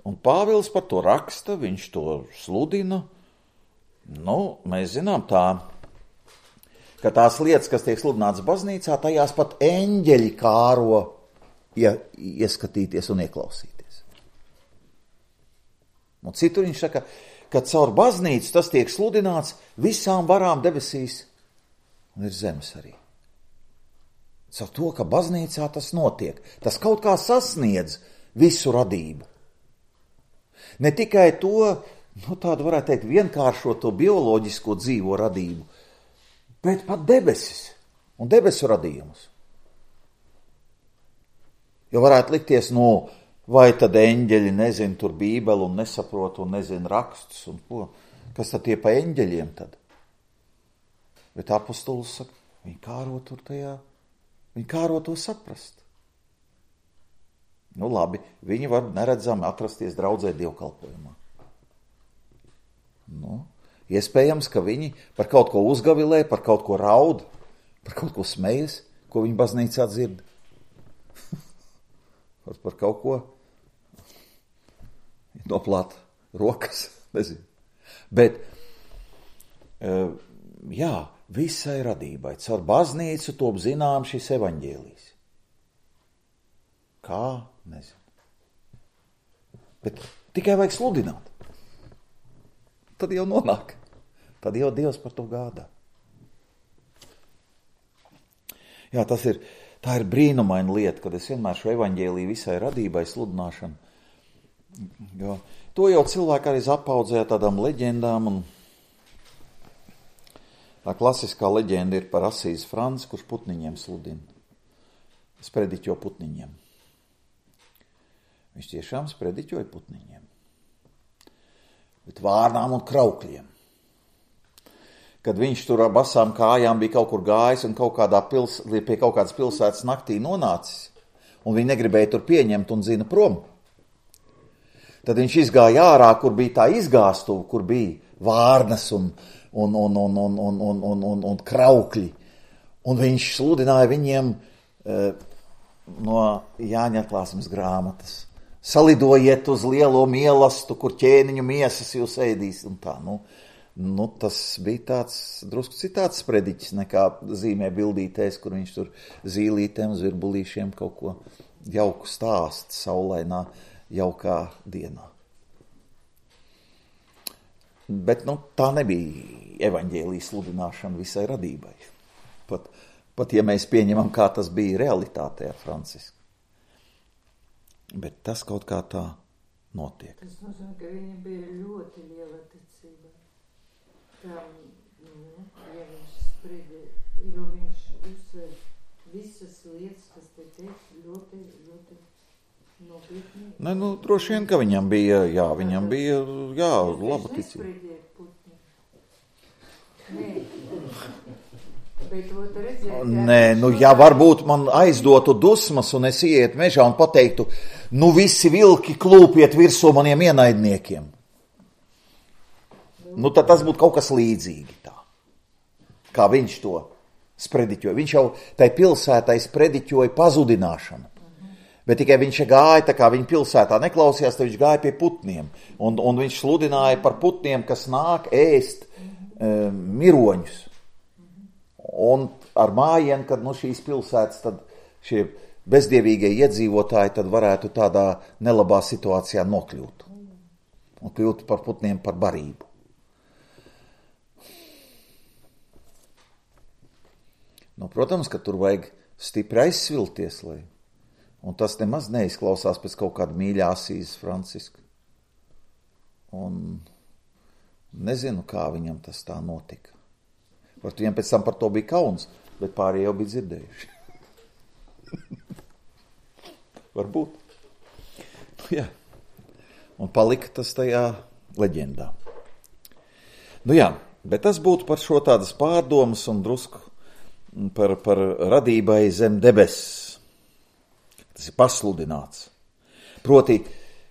Un Pāvils par to raksta, viņš to sludina. Mēs zinām ka tās lietas, kas tiek sludinātas baznīcā, tajās pat eņģeļi kāro ieskatīties un ieklausīties. Un citur viņš saka, ka caur baznīcu tas tiek sludināts visām varām debesīs un ir zemes arī. Caur to, ka baznīcā tas notiek, tas kaut kā sasniedz visu radību. Ne tikai to, tādu varētu teikt, vienkāršo to bioloģisko dzīvo radību, bet pat debesis un debesu radījumus. Jo varētu likties, vai tad eņģeļi nezina tur Bībeli un nesaprot un nezina rakstus un ko. Kas tad tie pa eņģeļiem tad? Bet apostols saka, viņi kāro tur tajā, viņi kāro to saprast. Labi, viņi var neredzami atrasties draudzē dievkalpojumā. Iespējams, ka viņi par kaut ko uzgavilē, par kaut ko raud, par kaut ko smejas, ko viņi baznīcā dzird. Par kaut ko noplāt rokas, nezinu. Bet, visai radībai, caur baznīcu top zinām šis evaņģēlijs. Kā? Nezinu. Bet tikai vajag sludināt. Tad jau nonāk. Tad jau Dievs par to gādā. Jā, tā ir brīnumaina lieta, kad es vienmēr šo evaņģēliju visai radībai sludināšanu. Jo to jau cilvēki arī apaudzēja tādām leģendām, un tā klasiskā leģenda ir par Asīzi Franci, kurš putniņiem sludina. Sprediķo putniņiem. Viņš tiešām sprediķoja putniņiem. Bet vārnām un kraukļiem. kad viņš tur ar basām kājām bija kaut kur gājis un pie kaut kādas pilsētas naktī nonācis, un viņi negribēja tur pieņemt un zina prom. Tad viņš izgāja ārā, kur bija tā izgāstuva, kur bija vārnas un kraukļi. Un viņš sludināja viņiem no Jāņa atklāsmes grāmatas. Salidojiet uz lielo mielastu, kur ķēniņu miesas jūs ēdīs un tā. Nu, tas bija tāds drusku citāds sprediķis nekā zīmē bildītēs, kur viņš tur zīlītēm, zvirbulīšiem kaut ko jauku stāst saulainā, jaukā dienā. Bet, tā nebija evaņģēlijas sludināšana visai radībai. Pat ja mēs pieņemam, kā tas bija realitātē ar Francisku. Bet tas kaut kā tā notiek. Tas nozīmē, ka viņam bija ļoti liela ticība. Ja viņš spridi, jo viņš uzsver visas lietas, kas te teikt, ļoti, ļoti nopietni. Droši vien, ka viņam bija, laba ticība. Nespridiet putni. Nē. Bet to redzēt, ja varbūt man aizdotu dusmas un es ietu mežā un pateiktu, visi vilki klūpiet virsū maniem ienaidniekiem. Tad tas būtu kaut kas līdzīgi tā. Kā viņš to sprediķoja. Viņš jau tai pilsētai sprediķoja pazudināšanu. Bet tikai viņš gāja, tā kā viņa pilsētā neklausījās, tad viņš gāja pie putniem. Un viņš sludināja par putniem, kas nāk ēst miroņus. Un ar mājienu, kad šīs pilsētas, tad šie bezdievīgie iedzīvotāji tad varētu tādā nelabā situācijā nokļūt. Un kļūt par putniem par barību. Protams, ka tur vajag stipri aizsvilties, un tas nemaz neizklausās pēc kaut kāda mīļā Asīzes Franciska. Un nezinu, kā viņam tas tā notika. Viņam pēc tam par to bija kauns, bet pārējie jau bija dzirdējuši. Varbūt. Jā. Un palika tas tajā leģendā. Bet tas būtu par šo tādas pārdomas un drusku par radībai zem debesis. Tas ir pasludināts. Proti,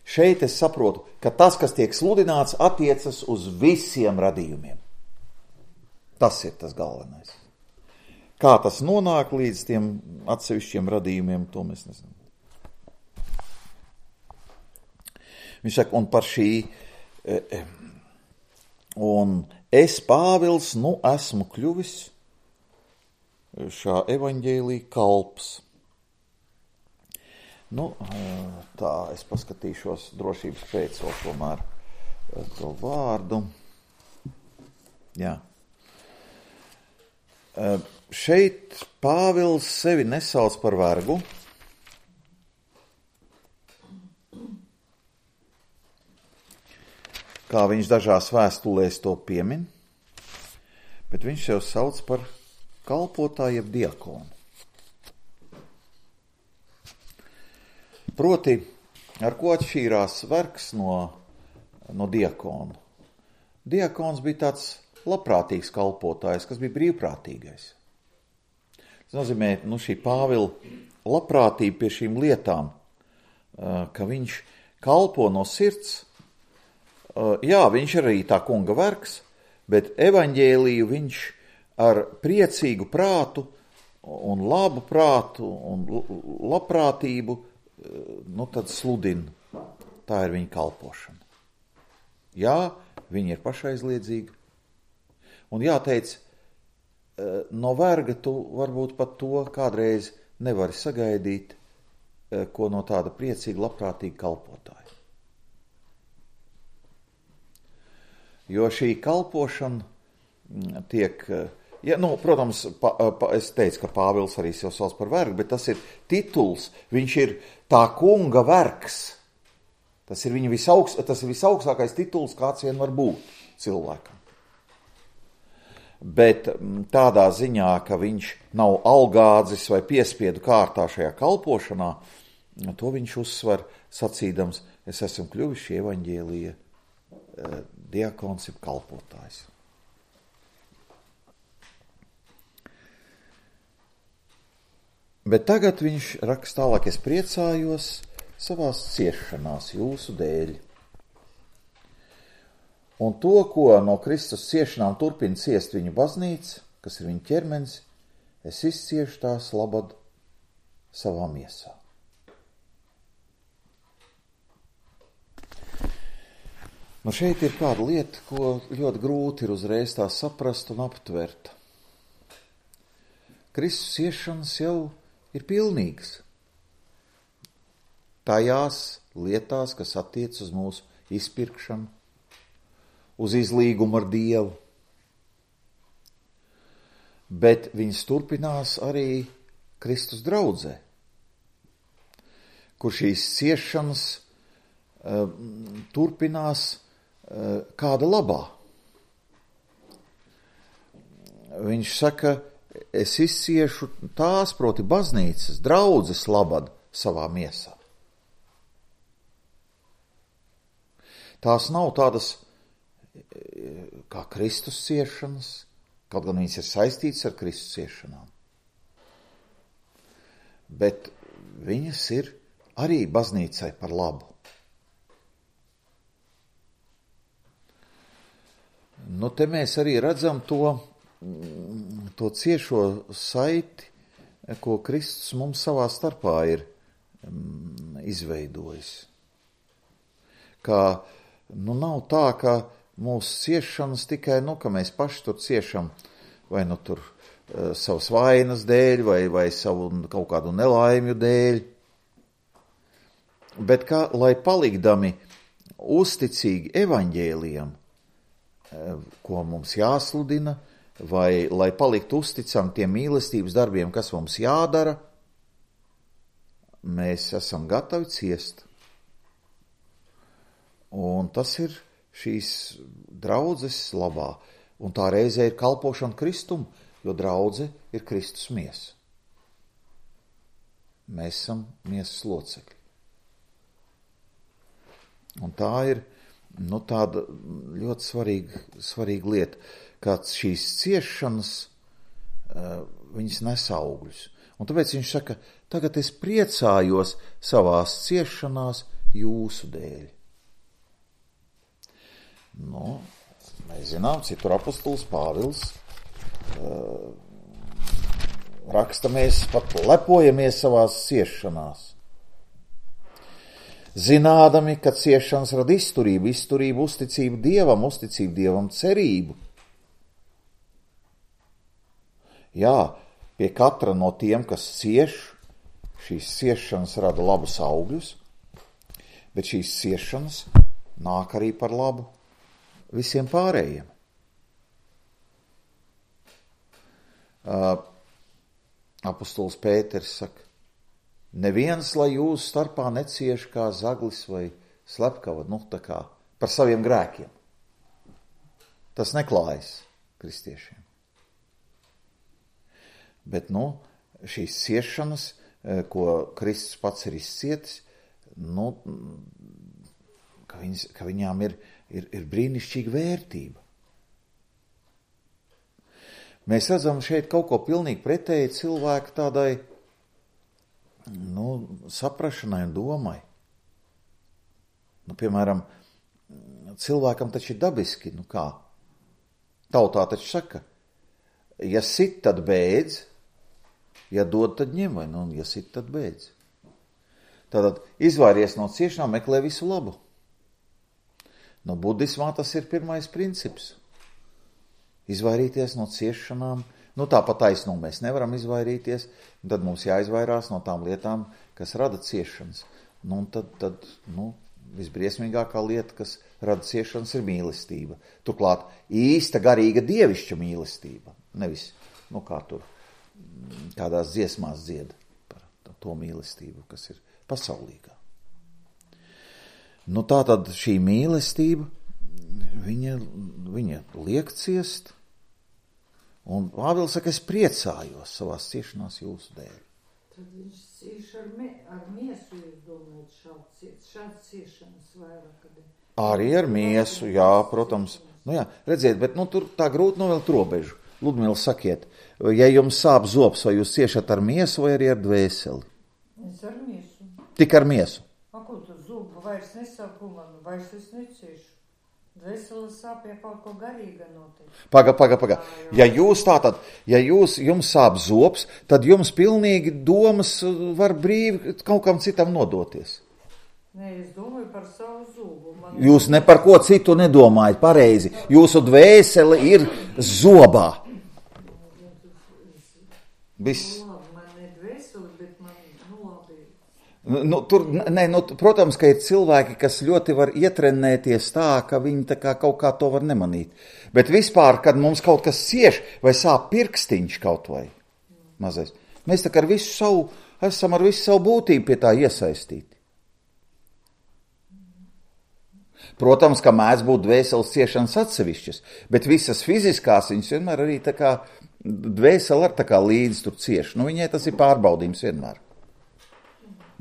šeit es saprotu, ka tas, kas tiek sludināts, attiecas uz visiem radījumiem. Tas ir tas galvenais. Kā tas nonāk līdz tiem atsevišķiem radījumiem, to mēs nezinām. Viņš saka, un par šī, un es, Pāvils, esmu kļuvis šā evaņģēlija kalps. Tā, es paskatīšos drošības pēc vēl tomēr to vārdu. Jā. Šeit Pāvils sevi nesauc par vergu. Kā viņš dažās vēstulēs to piemin, bet viņš sev sauc par kalpotāju jeb diakonu. Proti, ar ko atšķīrās vergs no diakona? Diakons bija tāds labprātīgs kalpotājs, kas bija brīvprātīgais. Tas nozīmē, šī Pāvila labprātība pie šīm lietām, ka viņš kalpo no sirds. Viņš arī tā kunga vergs, bet evaņģēliju viņš ar priecīgu prātu un labu prātu un labprātību, tad sludina. Tā ir viņa kalpošana. Viņa ir pašaizliedzīga. Un jāteic, no verga tu varbūt pat to kādreiz nevari sagaidīt, ko no tāda priecīga, labprātīga kalpotāja. Jo šī kalpošana tiek, protams, es teicu, ka Pāvils arī sev sauc par vergu, bet tas ir tituls, viņš ir tā kunga vergs. Tas ir viņa visaugstākais tituls, kāds vien var būt cilvēkam. Bet tādā ziņā, ka viņš nav algādzis vai piespiedu kārtā šajā kalpošanā, to viņš uzsver sacīdams, es esmu kļuvis šī evaņģēlija diakons ir kalpotājs. Bet tagad viņš raksta tālāk, es priecājos savās ciešanās jūsu dēļ. Un to, ko no Kristus ciešanām turpina ciest viņa baznīca, kas ir viņa ķermenis, es izciešu tās labad savā miesā. Nu šeit ir kāda lieta, ko ļoti grūti ir uzreiz tā saprast un aptvert. Kristus ciešanas jau ir pilnīgas. Tajās lietās, kas attiec uz mūsu izpirkšanu, uz izlīgumu ar Dievu. Bet viņas turpinās arī Kristus draudzē, kur šīs ciešanas turpinās kāda labā. Viņš saka, es izciešu tās, proti baznīcas, draudzes labad savā miesā. Tās nav tādas kā Kristus ciešanas, kaut gan viņas ir saistītas ar Kristus ciešanām. Bet viņas ir arī baznīcai par labu. Nu, te mēs arī redzam to ciešo saiti, ko Kristus mums savā starpā ir izveidojis. Kā, nav tā, ka mūsu ciešanas tikai, ka mēs paši tur ciešam, vai tur savas vainas dēļ, vai savu kaut kādu nelaimju dēļ, bet kā, lai palikdami uzticīgi evaņģēlijam, ko mums jāsludina, vai lai paliktu uzticam tiem mīlestības darbiem, kas mums jādara, mēs esam gatavi ciest. Un tas ir šīs draudzes labā. Un tā reizē ir kalpošana Kristum, jo draudze ir Kristus miesa. Mēs esam miesas locekļi. Un tā ir tāda ļoti svarīga lieta, kāds šīs ciešanas, viņas nes augļus. Un tāpēc viņš saka, tagad es priecājos savās ciešanās jūsu dēļ. Mēs zinām, citur apostols Pāvils raksta, mēs pat lepojamies savās ciešanās. Zinādami, ka ciešanas rada izturību, uzticību Dievam, cerību. Jā, pie katra no tiem, kas cieš, šīs ciešanas rada labus augļus, bet šīs ciešanas nāk arī par labu visiem pārējiem. Apostols Pēters saka, neviens, lai jūsu starpā necieš kā zaglis vai slepkava, tā kā par saviem grēkiem. Tas neklājas kristiešiem. Bet, šīs ciešanas, ko Kristus pats ir izcietis, ka viņām ir brīnišķīga vērtība. Mēs redzam šeit kaut ko pilnīgi pretēji cilvēku tādai saprašanai un domai. Piemēram, cilvēkam taču ir dabiski, kā? Tautā taču saka, ja sit, tad beidz, ja dod, tad ņem, vai ja sit, tad beidz. Tātad izvairies no ciešanām, meklē visu labu. Budismā tas ir pirmais princips. Izvairīties no ciešanām. Tāpat taisnība mēs nevaram izvairīties, tad mums jāizvairās no tām lietām, kas rada ciešanas. Tad visbriesmīgākā lieta, kas rada ciešanas, ir mīlestība. Turklāt īsta garīga dievišķa mīlestība. Nevis, kā tur kādās dziesmās dzied par to mīlestību, kas ir pasaulīgā. Tātad šī mīlestība, viņa liek ciest. Un Pāvils saka, es priecājos savās ciešanās jūsu dēļ. Tad viņš cieš ar miesu, jūs domājat, šāds ciešanas vairāk. Arī ar miesu, jā, protams. Redziet, bet tur tā grūti novilkt robežu. Ludmila, sakiet, ja jums sāp zobs, vai jūs ciešat ar miesu vai arī ar dvēseli? Es ar miesu. Tik ar miesu? Ko tu zubu vairs nesāku man, vairs es neciešu. Dvēseles sāp, ja kaut ko garīga notiek. Paga. Ja jūs tātad, jums sāp zobs, tad jums pilnīgi domas var brīvi kaut kam citam nodoties. Nē, es domāju par savu zubu. Jūs ne par ko citu nedomājat, pareizi. Jūsu dvēsele ir zobā. Viss. Man ne dvēsele, bet man, labi. Protams, ka ir cilvēki, kas ļoti var ietrenēties tā, ka viņi tā kā kaut kā to var nemanīt. Bet vispār, kad mums kaut kas cieš vai sāp pirkstiņš kaut vai mazais, mēs tā kā esam ar visu savu būtību pie tā iesaistīti. Protams, ka mēdz būt dvēseles ciešanas atsevišķas, bet visas fiziskās viņas vienmēr arī tā kā dvēsele ar tā kā līdzi tur cieši. Viņai tas ir pārbaudījums vienmēr.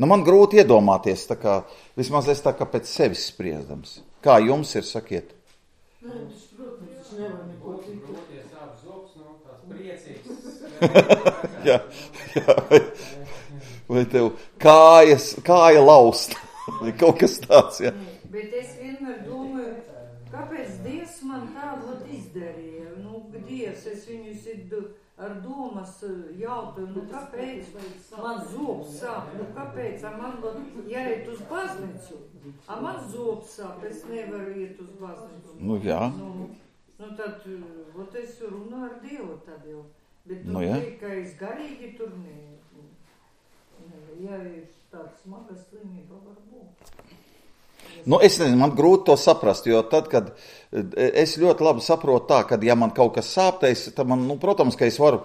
Man grūti iedomāties, tā kā, vismaz es tā kā pēc sevis spriedams. Kā jums ir, sakiet? Protams, nevar neko citu. Jā. Vai tev kāja laust? Vai kaut kas tāds, jā? Bet es vienmēr domāju, kāpēc Dievs man tādu izdarīja. Dievs, es viņus ar domas jautāju, kāpēc man zobs sāp, kāpēc, man jāiet uz baznīcu, man zobs sāp, es nevaru iet uz baznīcu. Jā. Tad, es runāju ar Dievu tad jau, bet ka es garīgi tur ja ir tāds smaga slimība, varbūt. Es nezinu, man grūti to saprast, jo tad, kad es ļoti labi saprotu tā, ka ja man kaut kas sāptais, tad man, protams, ka es varu,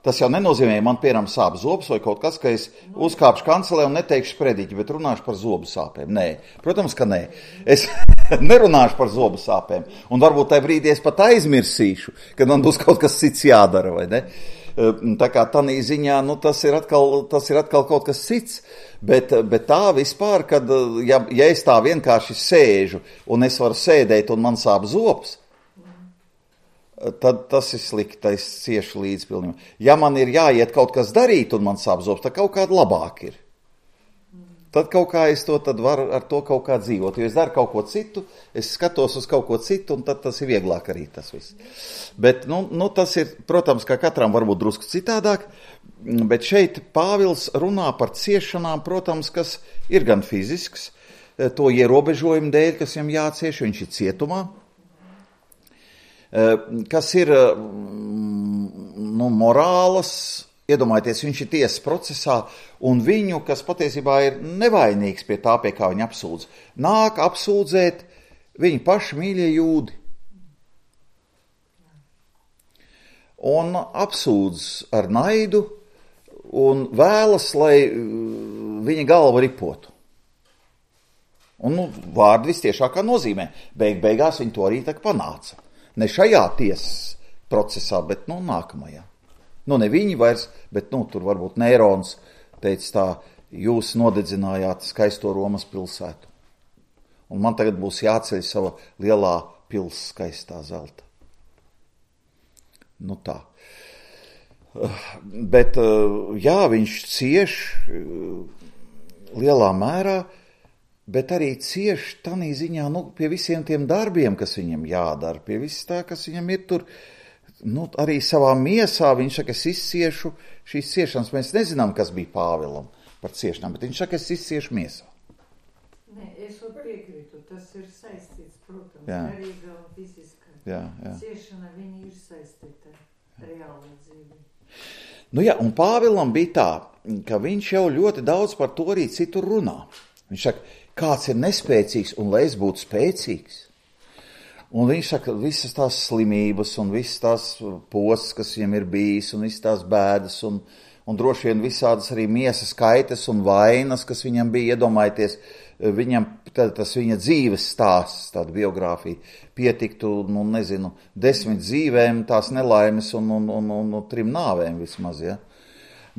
tas jau nenozīmē, man piemēram sāp zobs vai kaut kas, ka es uzkāpšu kancelē un neteikšu prediķi, bet runāšu par zobu sāpēm. Nē, protams, ka nē. Es nerunāšu par zobu sāpēm, un varbūt tajā brīdī es pat aizmirsīšu, kad man būs kaut kas cits jādara, vai ne? Tā kā tanī ziņā, tas ir atkal kaut kas cits, bet tā vispār, kad, ja es tā vienkārši sēžu un es varu sēdēt un man sāp zobs, tad tas ir slikti, es ciešu līdz pilnībā. Ja man ir jāiet kaut kas darīt un man sāp zobs, tad kaut kāda labāk ir. Tad kaut kā es to tad varu ar to kaut kā dzīvot, jo es daru kaut ko citu, es skatos uz kaut ko citu, un tad tas ir vieglāk arī tas viss. Bet, tas ir, protams, ka katram varbūt drusku citādāk, bet šeit Pāvils runā par ciešanām, protams, kas ir gan fizisks, to ierobežojumu dēļ, kas viņam jācieš, viņš ir cietumā, kas ir, morālas. Iedomājieties, viņš ir tiesas procesā, un viņu, kas patiesībā ir nevainīgs pie tā, pie kā viņa apsūdz, nāk apsūdzēt viņa paši mīļie jūdi. Un apsūdz ar naidu, un vēlas, lai viņa galva ripotu. Un, vārdi vistiešākā nozīmē. Beigās viņa to arī tā panāca. Ne šajā tiesas procesā, bet, nākamajā. Ne viņi vairs, bet, tur varbūt Neirons teica tā, jūs nodedzinājāt skaisto Romas pilsētu. Un man tagad būs jāceļ sava lielā pils skaistā zelta. Tā. Bet, jā, viņš cieš lielā mērā, bet arī cieš tanī ziņā, pie visiem tiem darbiem, kas viņam jādara, pie viss tā, kas viņam ir tur, arī savā miesā viņš saka, es izciešu šīs ciešanas. Mēs nezinām, kas bija Pāvilam par ciešanām, bet viņš saka, es izciešu miesā. Nē, es piekrītu, tas ir saistīts, protams, garīga un fiziska. Jā. Ciešana viņa ir saistīta reāli dzīvi. Un Pāvilam bija tā, ka viņš jau ļoti daudz par to arī citur runā. Viņš saka, kāds ir nespēcīgs un lai es būtu spēcīgs. Un viņš saka, visas tās slimības un visas tās posts, kas viņam ir bijis, un visas tās bēdas, un droši vien visādas arī miesas kaitas un vainas, kas viņam bija, iedomājieties, viņam tas viņa dzīves stāsts, tāda biogrāfija, pietiktu, 10 dzīvēm, tās nelaimes un 3 nāvēm vismaz, ja.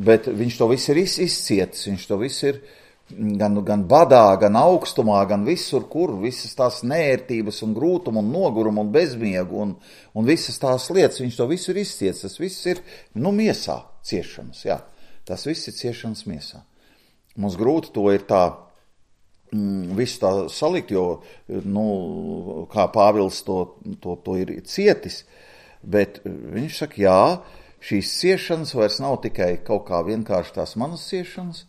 Bet viņš to visu ir izcietis, viņš to visu ir gan badā, gan augstumā, gan visur, kur visas tās neērtības un grūtumu un nogurumu un bezmiegu un visas tās lietas, viņš to visu ir izciets, tas viss ir, miesā ciešanas, jā, tas viss ir ciešanas miesā. Mums grūti to ir tā, visu tā salikt, jo, kā Pāvils to ir cietis, bet viņš saka, jā, šīs ciešanas vairs nav tikai kaut kā vienkārši tās manas ciešanas,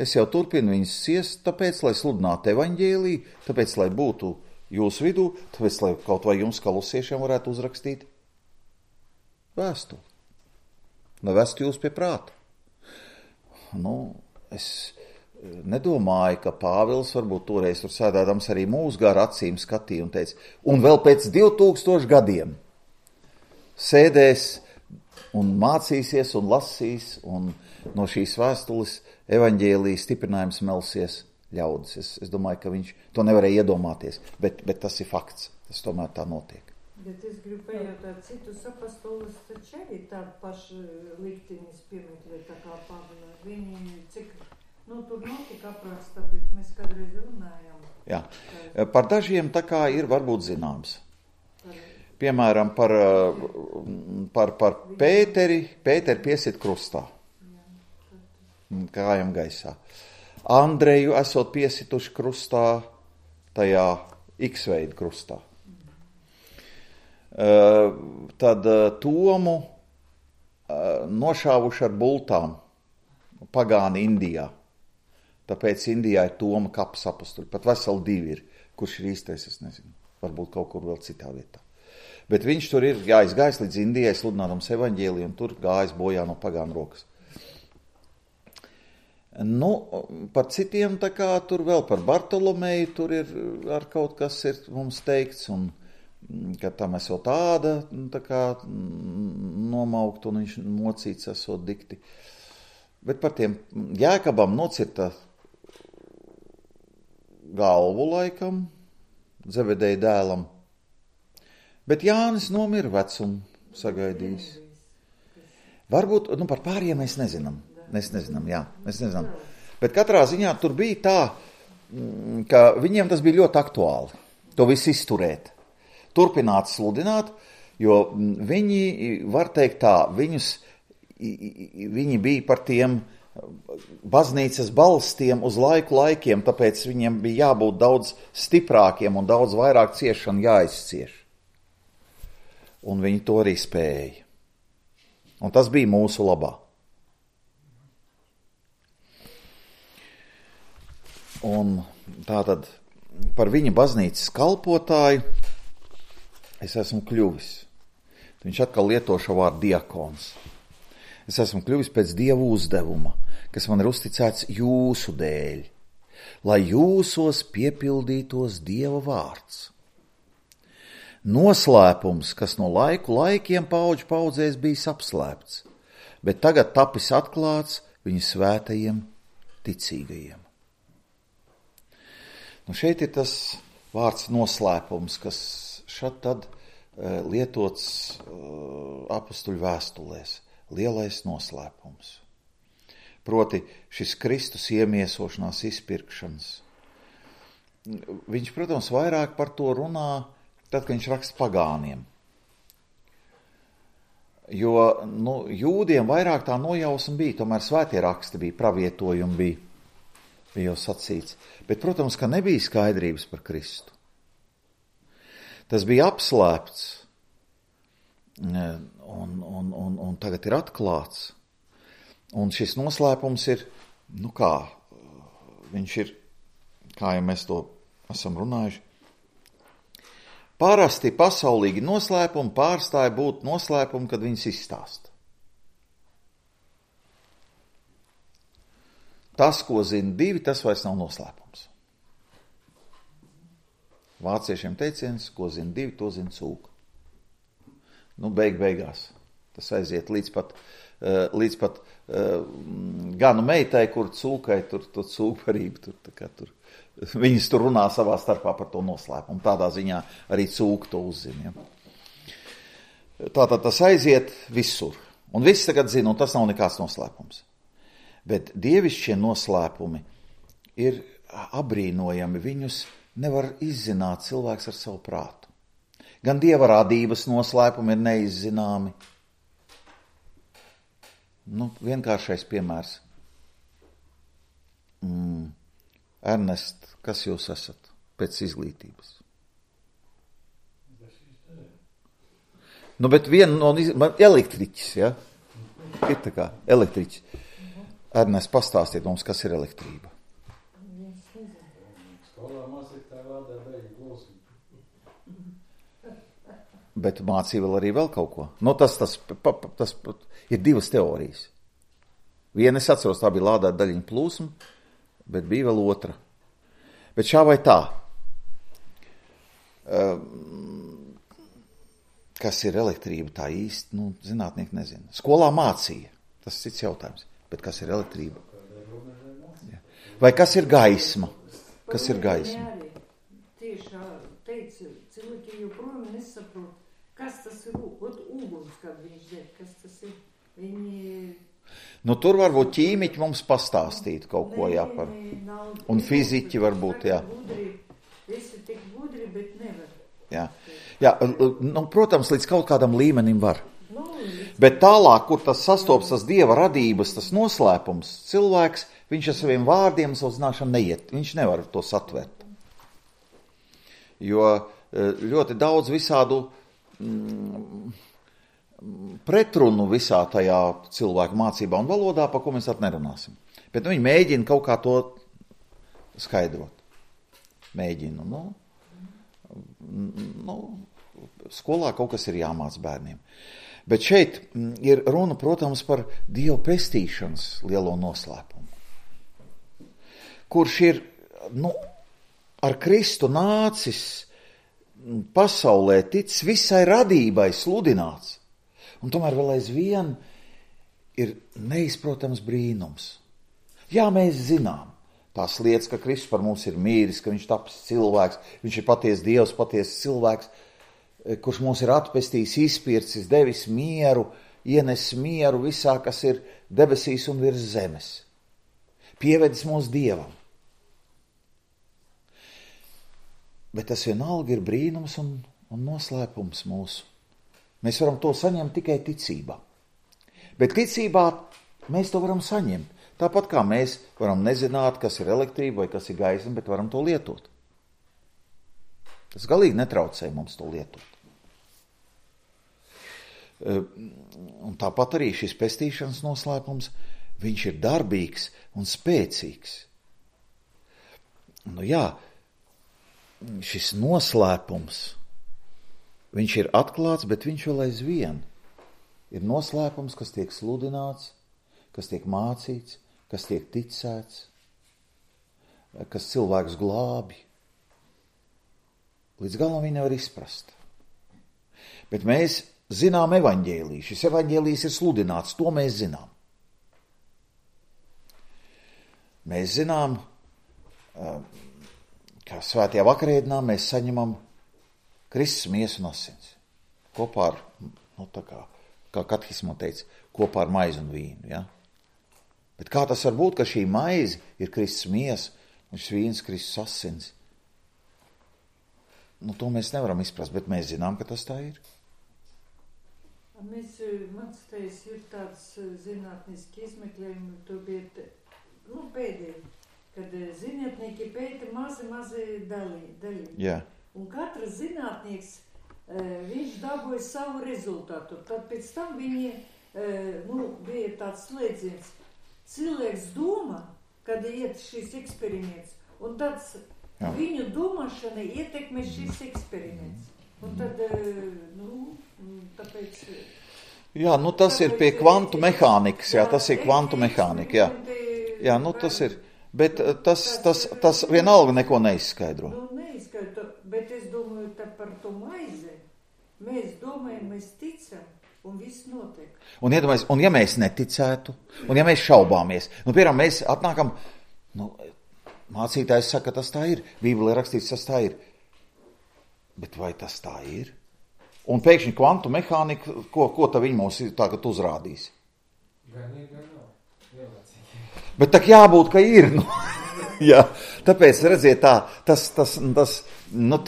es jau turpinu viņas ciest, tāpēc, lai sludinātu evaņģēliju, tāpēc, lai būtu jūsu vidū, tāpēc, lai kaut vai jums kolosiešiem varētu uzrakstīt vēstuli, lai vestu jūs pie prāta. Es nedomāju, ka Pāvils varbūt toreiz tur sēdēdams arī mūsu gar acīm skatīja un teica, un vēl pēc 2000 gadiem sēdēs un mācīsies un lasīs, un no šīs vēstules evaņģēlija stiprinājums melsies ļaudis. Es domāju, ka viņš to nevarēja iedomāties, bet tas ir fakts, tas tomēr tā notiek. Bet es gribu pajautāt, citus apostolus taču arī tādu pašu liktenis piemeklē tā kā Pāvila. Viņi cik, tur notika apraksta, bet mēs kādreiz runājām. Jā, par dažiem tā kā ir varbūt zināms. Piemēram, par Pēteri piesit krustā, kājām gaisā. Andreju esot piesituši krustā, tajā X-veida krustā. Tad Tomu nošāvuši ar bultām pagāni Indijā. Tāpēc Indijā ir Toma kaps apustuļi. Pat veseli 2 ir. Kurš ir īstais, es nezinu. Varbūt kaut kur vēl citā vietā. Bet viņš tur ir aizgājis līdz Indijai, sludinādams evaņģēliju, un tur gājis bojā no pagānu rokas. Par citiem tā kā tur vēl par Bartolomeju, tur ir ar kaut kas ir mums teikts, un ka tam esot tāda, tā kā nomaukt, un viņš mocīts esot dikti. Bet par tiem Jēkabam nocirta galvu laikam, Zebedeja dēlam, bet Jānis nomira vecumu sagaidījis. Varbūt, par pāriem mēs nezinām. Mēs nezinām. Bet katrā ziņā tur bija tā, ka viņiem tas bija ļoti aktuāli. To visu izturēt. Turpināt sludināt, jo viņi, var teikt tā, viņi bija par tiem baznīcas balstiem uz laikiem, tāpēc viņiem bija jābūt daudz stiprākiem un daudz vairāk ciešanu jāizcieš. Un viņi to arī spēja. Un tas bija mūsu labā. Un tātad par viņa baznīcas kalpotāju es esmu kļuvis. Viņš atkal lieto šo vārdu diakons. Es esmu kļuvis pēc Dieva uzdevuma, kas man ir uzticēts jūsu dēļ, lai jūsos piepildītos Dieva vārds. Noslēpums, kas no laikiem paudžu paudzēs bijis apslēpts, bet tagad tapis atklāts viņa svētajiem ticīgajiem. Šeit ir tas vārds noslēpums, kas šad tad lietots apustuļu vēstulēs. Lielais noslēpums. Proti šis Kristus iemiesošanās izpirkšanas. Viņš, protams, vairāk par to runā, tad, kad viņš raksta pagāniem. Jo jūdiem vairāk tā nojausma bija, tomēr svētie raksti bija, pravietojumi bija jau sacīts. Bet, protams, ka nebija skaidrības par Kristu. Tas bija apslēpts. Un tagad ir atklāts. Un šis noslēpums ir, viņš ir, kā jau mēs to esam runājuši, parasti pasaulīgi noslēpumi pārstāja būt noslēpumi, kad viņas izstāsta. Tas, ko zina 2, tas vairs nav noslēpums. Vāciešiem teiciens, ko zina 2, to zina cūka. Beigās. Tas aiziet līdz pat ganu meitai, kur cūkai, tur cūkparība, tur. Viņas tur runā savā starpā par to noslēpumu. Tādā ziņā arī cūka to uzzina. Ja. Tātad tas aiziet visur. Un viss tagad zina, un tas nav nekāds noslēpums. Bet dievišķie noslēpumi, ir abrīnojami. Viņus nevar izzināt cilvēks ar savu prātu. Gan Dieva radības noslēpumi ir neizzināmi. Vienkāršais piemērs. Ernest, kas jūs esat pēc izglītības? Bet viena no elektriķis, ja? Ir tā kā elektriķis. Ernest, pastāstiet mums, kas ir elektrība. Bet mācīja vēl kaut ko. Tas ir divas teorijas. Viena, es atceros, tā bija lādēta daļiņa plūsma, bet bija vēl otra. Bet šā vai tā. Kas ir elektrība, tā īsti, zinātnieki nezina. Skolā mācīja, tas cits jautājums. Bet kas ir elektrība? Vai kas ir gaisma? Kas ir gaisma? Tieši teica, cilvēki joprojām nesaprot, kas tas ir uguns, kad viņš deg, kas tas ir. Tur varbūt ķīmiķi mums pastāstīt kaut ko, jā, par. Un fiziķi varbūt, jā. Visi tik gudri, bet nevar. Jā, protams, līdz kaut kādam līmenim var. Bet tālāk, kur tas sastopas tas Dieva radības, tas noslēpums, cilvēks, viņš ar saviem vārdiem, savu zināšanu neiet. Viņš nevar to satvert. Jo ļoti daudz visādu pretrunu visā tajā cilvēku mācībā un valodā, pa ko mēs nerunāsim. Bet viņi mēģina kaut kā to skaidrot. Mēģina, skolā kaut kas ir jāmāc bērniem. Bet šeit ir runa, protams, par Dieva pestīšanas lielo noslēpumu, kurš ir, ar Kristu nācis pasaulē, ticis visai radībai sludināts, un tomēr vēl aizvien ir neizprotams brīnums. Jā, mēs zinām tās lietas, ka Kristus par mums ir mīris, ka viņš tapis cilvēks, viņš ir patiesi Dievs, patiesi cilvēks, kurš mūs ir atpestījis, izpircis, devis mieru, ienes mieru visā, kas ir debesīs un virs zemes. Pievedis mūs Dievam. Bet tas vienalga ir brīnums un noslēpums mūsu. Mēs varam to saņemt tikai ticībā. Bet ticībā mēs to varam saņemt. Tāpat kā mēs varam nezināt, kas ir elektrība vai kas ir gaisma, bet varam to lietot. Tas galīgi netraucē mums to lietot. Un tāpat arī šis pestīšanas noslēpums, viņš ir darbīgs un spēcīgs. Šis noslēpums, viņš ir atklāts, bet viņš vēl aizvien ir noslēpums, kas tiek sludināts, kas tiek mācīts, kas tiek ticēts, kas cilvēks glābi. Līdz galam viņi nevar izprast. Bet mēs zinām evaņģēliju. Šis evaņģēlijs ir sludināts, to mēs zinām. Mēs zinām, ka svētajā vakarēdienā mēs saņemam Kristus miesu un asins. Kopā ar, kā katehismā teica, kopā ar maizi un vīnu. Ja? Bet kā tas var būt, ka šī maize ir Kristus miesa un šis vīns Kristus asins? To mēs nevaram izprast, bet mēs zinām, ka tas tā ir. Mans teiks, ir tāds zinātniski izmeklējumi, tur bija pēdējie, kad zinātnieki pēta mazi daļi. Jā. Un katrs zinātnieks, viņš dabūja savu rezultātu. Tad pēc tam viņi, bija tāds slēdziens. Cilvēks domā, kad iet šis eksperiments, un tāds viņu domāšana ietekmē šis eksperiments. Un tad, tāpēc... Jā, tas ir pie kvantu mehānikas, tas ir kvantu mehānika, jā, tas ir, bet tas vienalga neko neizskaidro. Neizskaidro, bet es domāju, tā par to maizi, mēs domājam, mēs ticam, un viss notiek. Un iedomājies, un ja mēs neticētu, un ja mēs šaubāmies, piemēram, mēs atnākam, mācītājs saka, tas tā ir, Bībelē rakstīts, tas tā ir. Bet vai tas tā ir? Un pēkšņi kvantu mehānika, ko tā viņi mums tagad uzrādīs? Gan ir, gan nav. Bet tā jābūt, ka ir. Jā, tāpēc, redziet,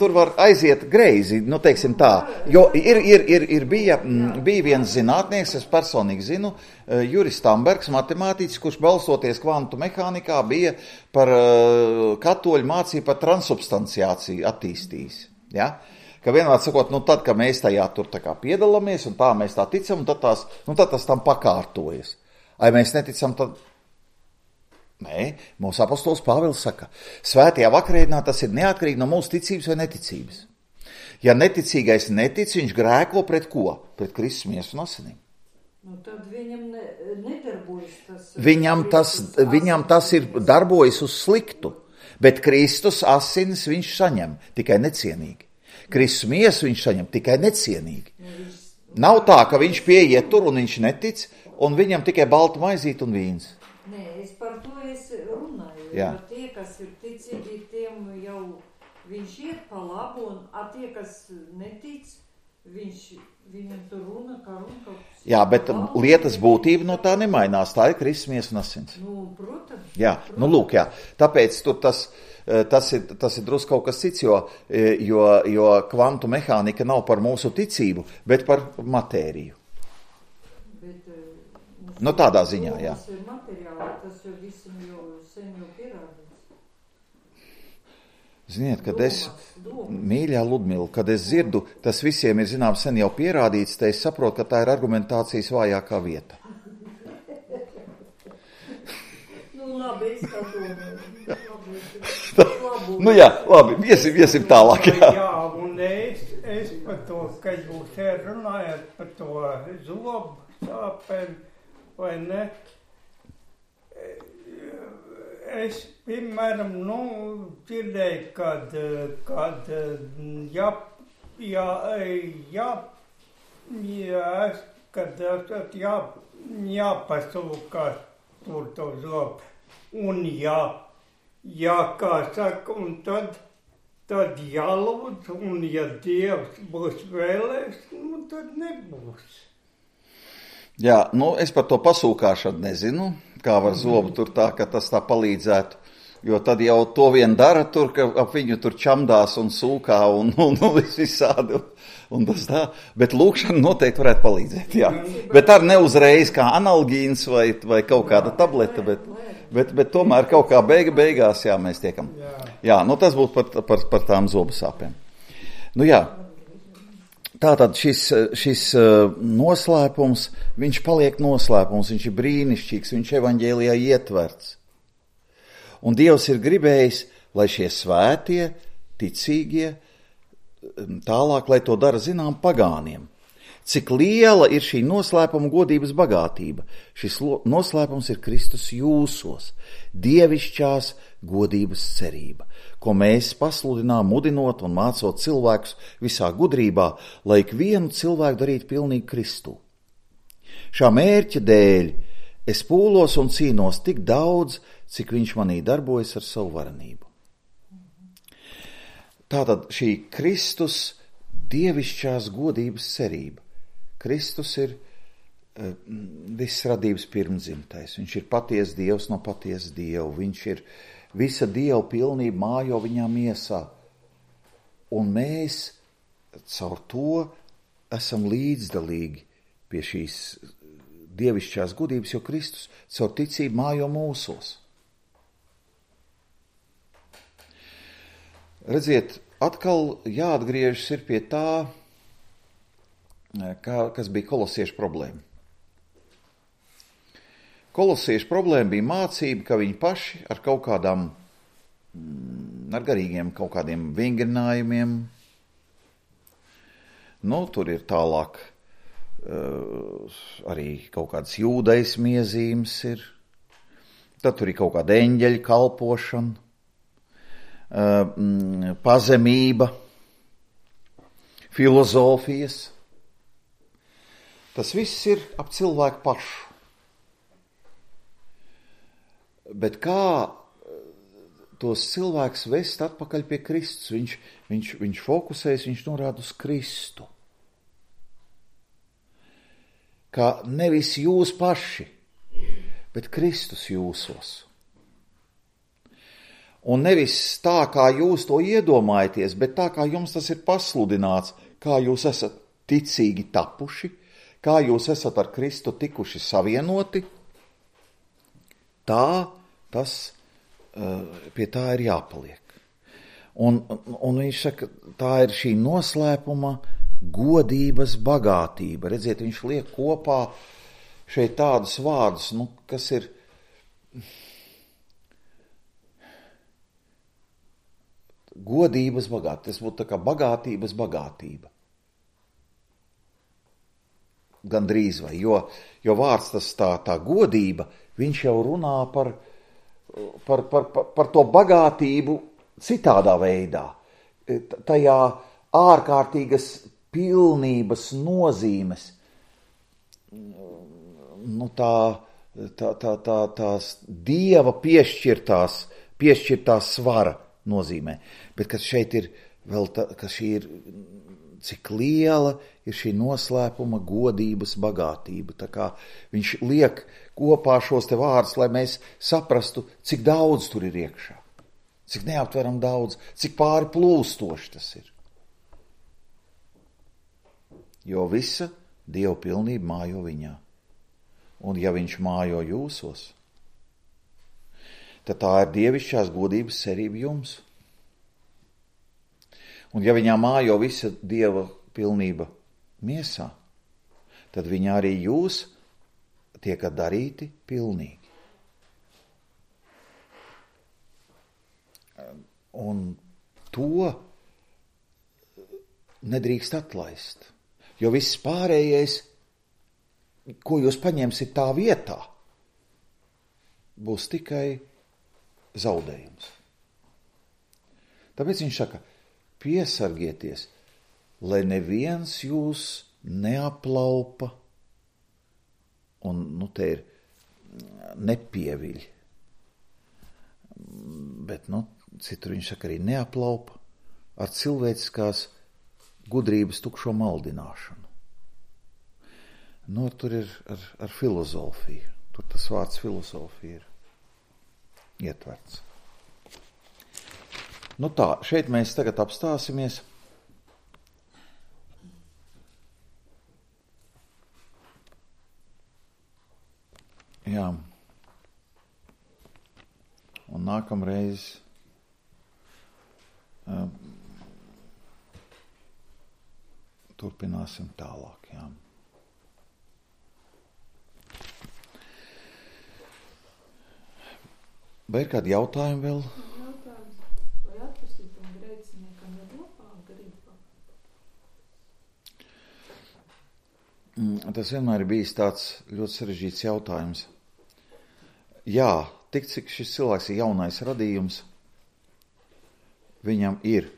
tur var aiziet greizi, teiksim tā, jo bija viens zinātnieks, es personīgi zinu, Juris Stambergs, matemātiķis, kurš balstoties kvantu mehānikā bija par katoļu mācību par transubstanciāciju attīstījis, ja? Ka vienmēr sakot, tad, kad mēs tajā tur tā kā piedalāmies un tā mēs tā ticam, tad tas tam pakārtojas. Ai mēs neticam, tad... Nē, mūsu apostols Pāvils saka, svētajā vakarēdienā tas ir neatkarīgi no mūsu ticības vai neticības. Ja neticīgais netic, viņš grēko pret ko? Pret Kristus miesu un asinīm. Tad viņam nedarbojas tas... Viņam tas ir darbojas uz sliktu, bet Kristus asinis viņš saņem tikai necienīgi. Kristus miesu viņš saņem tikai necienīgi. Nav tā, ka viņš pieiet tur un viņš netic, un viņam tikai balta maizīt un vīns. Nē, es par to runāju. Jā. Jo tie, kas ir ticīgi, tiem jau viņš iet pa labu, un tie, kas netic, viņam tur runa, kā runa. Jā, bet lietas būtība no tā nemainās. Tā ir Kristus miesa un asins. Protams. Jā, lūk, jā. Tāpēc tur tas ir drusku kaut kas cits, jo kvantu mehānika nav par mūsu ticību, bet par matēriju. Tādā ziņā, jā. Tas ir materiāli, tas jau visam sen pierādīts. Ziniet, kad mīļā Ludmila, kad es dzirdu, tas visiem ir zināms sen jau pierādīts, tad es saprotu, ka tā ir argumentācijas vājākā vieta. Labi, es tā domāju. Jā, labi, iesim tālāk. Jā, un es par to, ka jūs runājat par to zobu sāpēm, vai ne? Es, piemēram, dzirdēju, kad jāpasūkās tur to zobu. Un kā saka, un tad jālūdz, un ja Dievs būs vēlēs, tad nebūs. Jā, es par to pasūkāšanu nezinu, kā var zobu tur tā, ka tas tā palīdzētu, jo tad jau to vien dara tur, ka ap viņu tur čamdās un sūkā un visādi. Un tas tā, bet lūkšana noteikti varētu palīdzēt, jā. Bet ar neuzreiz kā analgīns vai kaut kāda tableta, bet tomēr kaut kā beigās, jā, mēs tiekam. Jā, tas būtu par tām zobu sāpēm. Jā, tātad šis noslēpums, viņš paliek noslēpums, viņš ir brīnišķīgs, viņš evaņģēlijā ietverts. Un Dievs ir gribējis, lai šie svētie, ticīgie, tālāk, lai to dara zinām pagāniem. Cik liela ir šī noslēpuma godības bagātība? Šis noslēpums ir Kristus jūsos, dievišķās godības cerība, ko mēs pasludinām, mudinot un mācot cilvēkus visā gudrībā, lai ikvienu cilvēku darītu pilnīgi Kristu. Šā mērķa dēļ es pūlos un cīnos tik daudz, cik viņš manī darbojas ar savu varenību. Tātad šī Kristus dievišķās godības cerība. Kristus ir viss radības pirmdzimtais. Viņš ir patiesa Dievs no patiesa Dieva. Viņš ir visa Dieva pilnība mājo viņā miesā. Un mēs caur to esam līdzdalīgi pie šīs dievišķās godības, jo Kristus caur ticību mājo mūsos. Redziet, atkal jāatgriežas ir pie tā, kas bija kolosiešu problēma. Kolosiešu problēma bija mācība, ka viņi paši ar kaut kādām, ar garīgiem kaut kādiem vingrinājumiem, tur ir tālāk arī kaut kādas jūdaismu iezīmes ir, tad tur ir kaut kāda eņģeļa kalpošana, pazemība, filozofijas. Tas viss ir ap cilvēku pašu. Bet kā tos cilvēks vest atpakaļ pie Kristus? Viņš fokusējas, viņš norāda uz Kristu. Kā nevis jūs paši, bet Kristus jūsos. Un nevis tā, kā jūs to iedomājaties, bet tā, kā jums tas ir pasludināts, kā jūs esat ticīgi tapuši, kā jūs esat ar Kristu tikuši savienoti, tā tas pie tā ir jāpaliek. Un viņš saka, tā ir šī noslēpuma godības bagātība. Redziet, viņš liek kopā šeit tādus vārdus, kas ir godības bagātība. Tas būtu tā kā bagātības bagātība. Gandrīz vai, jo vārds tas tā godība, viņš jau runā par to bagātību citādā veidā. Tajā ārkārtīgas pilnības nozīmes, tās Dieva piešķirtās svara nozīmē. Bet, kas šeit ir vēl ka šī ir, cik liela ir šī noslēpuma godības bagātība. Tā kā viņš liek kopā šos te vārdus, lai mēs saprastu, cik daudz tur ir iekšā. Cik neaptveram daudz, cik pāri plūstoši tas ir. Jo visa Dieva pilnība mājo viņā. Un ja viņš mājo jūsos, tad tā ir dievišķās godības cerība jums. Un ja viņā mājo visa Dieva pilnība miesā, tad viņā arī jūs tiekat darīti pilnīgi. Un to nedrīkst atlaist, jo viss pārējais, ko jūs paņemsiet tā vietā, būs tikai zaudējums. Tāpēc viņš saka, piesargieties, lai neviens jūs neaplaupa un, te ir nepieviļ. Bet, citur viņš saka arī neaplaupa ar cilvēciskās gudrības tukšo maldināšanu. Tur ir ar filozofiju. Tur tas vārds filozofija ir ietverts. Tā, šeit mēs tagad apstāsimies. Jā. Un nākamreiz turpināsim tālāk, jā. Vai ir kādi jautājumi vēl? Vai atpestītam grēciniekam ir labā grība? Tas vienmēr ir bijis tāds ļoti sarežģīts jautājums. Jā, tik cik šis cilvēks ir jaunais radījums, viņam ir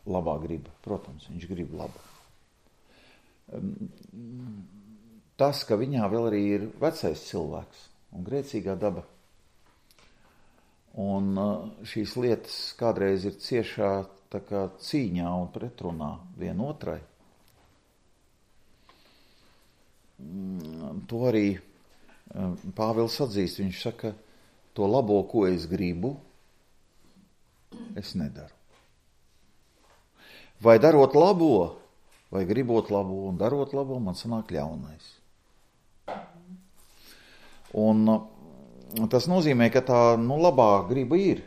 labā griba. Protams, viņš grib labu. Tas, ka viņā vēl arī ir vecais cilvēks un grēcīgā daba, un šīs lietas kādreiz ir ciešā tā kā cīņā un pretrunā vienotrai. To arī Pāvils atzīst. Viņš saka, to labo, ko es gribu, es nedaru. Vai darot labo, vai gribot labo un darot labo, man sanāk ļaunais. Un tas nozīmē, ka tā labā griba ir.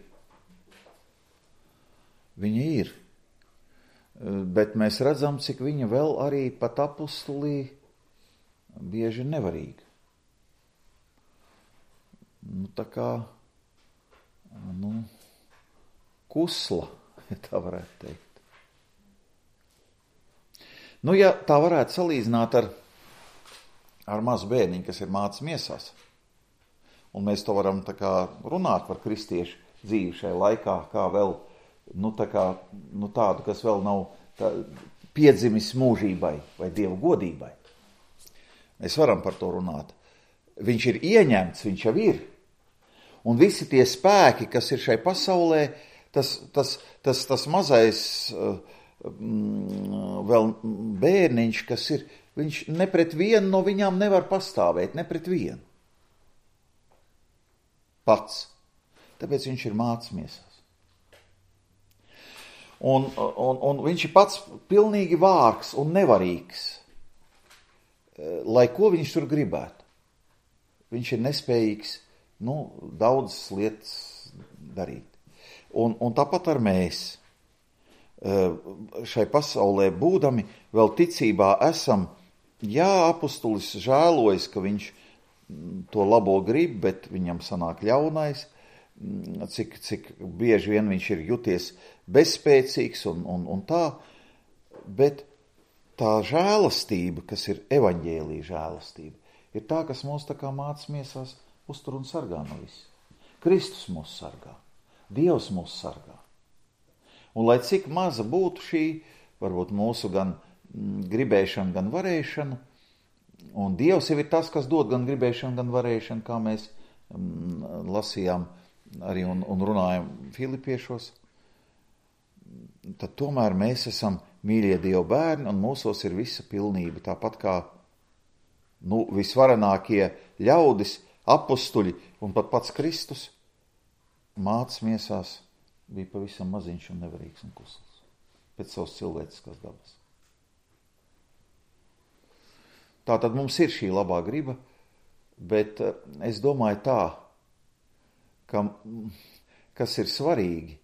Viņa ir. Bet mēs redzam, cik viņa vēl arī pat apustulī bieži nevarīga. Tā kā kusla, ja tā varētu teikt. Ja tā varētu salīdzināt ar mazu bērniņu, kas ir mācis miesās, un mēs to varam tā kā runāt par kristiešu dzīvi šajā laikā, kā vēl, tādu, kas vēl nav piedzimis mūžībai vai Dieva godībai. Mēs varam par to runāt. Viņš ir ieņemts, viņš jau ir. Un visi tie spēki, kas ir šai pasaulē, tas mazais vēl bērniņš, kas ir, viņš ne pret vienu no viņām nevar pastāvēt, ne pret vienu. Pats. Tāpēc viņš ir mācis miesās. Un viņš ir pats pilnīgi vārgs un nevarīgs, lai ko viņš tur gribētu. Viņš ir nespējīgs, daudzas lietas darīt. Un tāpat ar mēs. Šai pasaulē būdami vēl ticībā esam, apustulis žēlojas, ka viņš to labo grib, bet viņam sanāk ļaunais, cik bieži vien viņš ir juties bezspēcīgs un tā, bet tā žēlastība, kas ir evaņģēlija žēlastība, ir tā, kas mūs tā kā mācas miesās uztur un sargā no viss. Kristus mūs sargā, Dievs mūs sargā. Un lai cik maza būtu šī, varbūt mūsu gan gribēšana, gan varēšana, un Dievs jau ir tas, kas dod gan gribēšanu, gan varēšanu, kā mēs lasījām arī un runājam Filipiešos, tad tomēr mēs esam mīļie Dieva bērni, un mūsos ir visa pilnība, tāpat kā visvarenākie ļaudis, apustuļi un pat pats Kristus mācas miesās bija pavisam maziņš un nevarīgs un kusls pēc savas cilvēciskās dabas. Tātad mums ir šī labā griba, bet es domāju tā, kas ir svarīgi,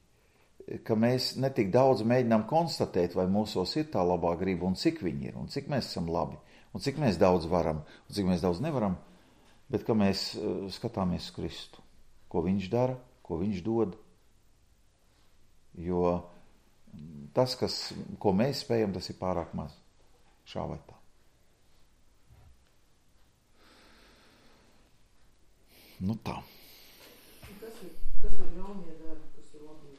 ka mēs netik daudz mēģinām konstatēt, vai mūsos ir tā labā griba un cik viņi ir, un cik mēs esam labi, un cik mēs daudz varam, un cik mēs daudz nevaram, bet ka mēs skatāmies Kristu, ko viņš dara, ko viņš dod. Jo tas, ko mēs spējam, tas ir pārāk maz. Šā vai tā. Tā. Kas ir ļaunie darbi, kas ir labie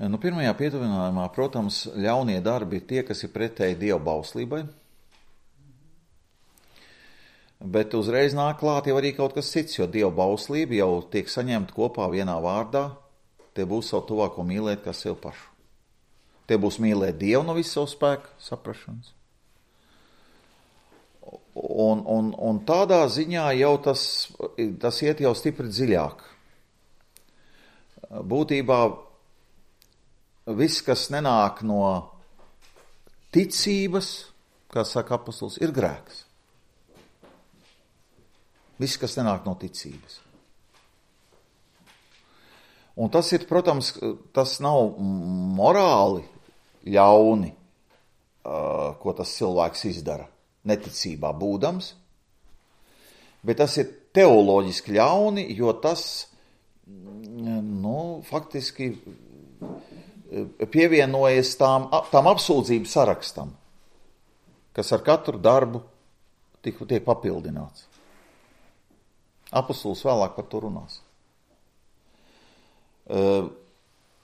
darbi? Pirmajā pietuvinājumā, protams, ļaunie darbi ir tie, kas ir pretēji Dieva bauslībai. Bet uzreiz nāk klāt jau arī kaut kas cits, jo Dieva bauslība jau tiek saņemta kopā vienā vārdā. Te būs savu tuvāko mīlēt kā sev pašu. Te būs mīlēt Dievu no visu savu spēku, saprašanas. Un tādā ziņā jau tas iet jau stipri dziļāk. Būtībā viss, kas nenāk no ticības, kā saka apostols, ir grēks. Viss, kas nenāk no ticības. Un tas ir, protams, tas nav morāli ļauni, ko tas cilvēks izdara, neticībā būdams, bet tas ir teoloģiski ļauni, jo tas, faktiski pievienojas tām apsūdzību sarakstam, kas ar katru darbu tiek papildināts. Apostols vēlāk par to runās.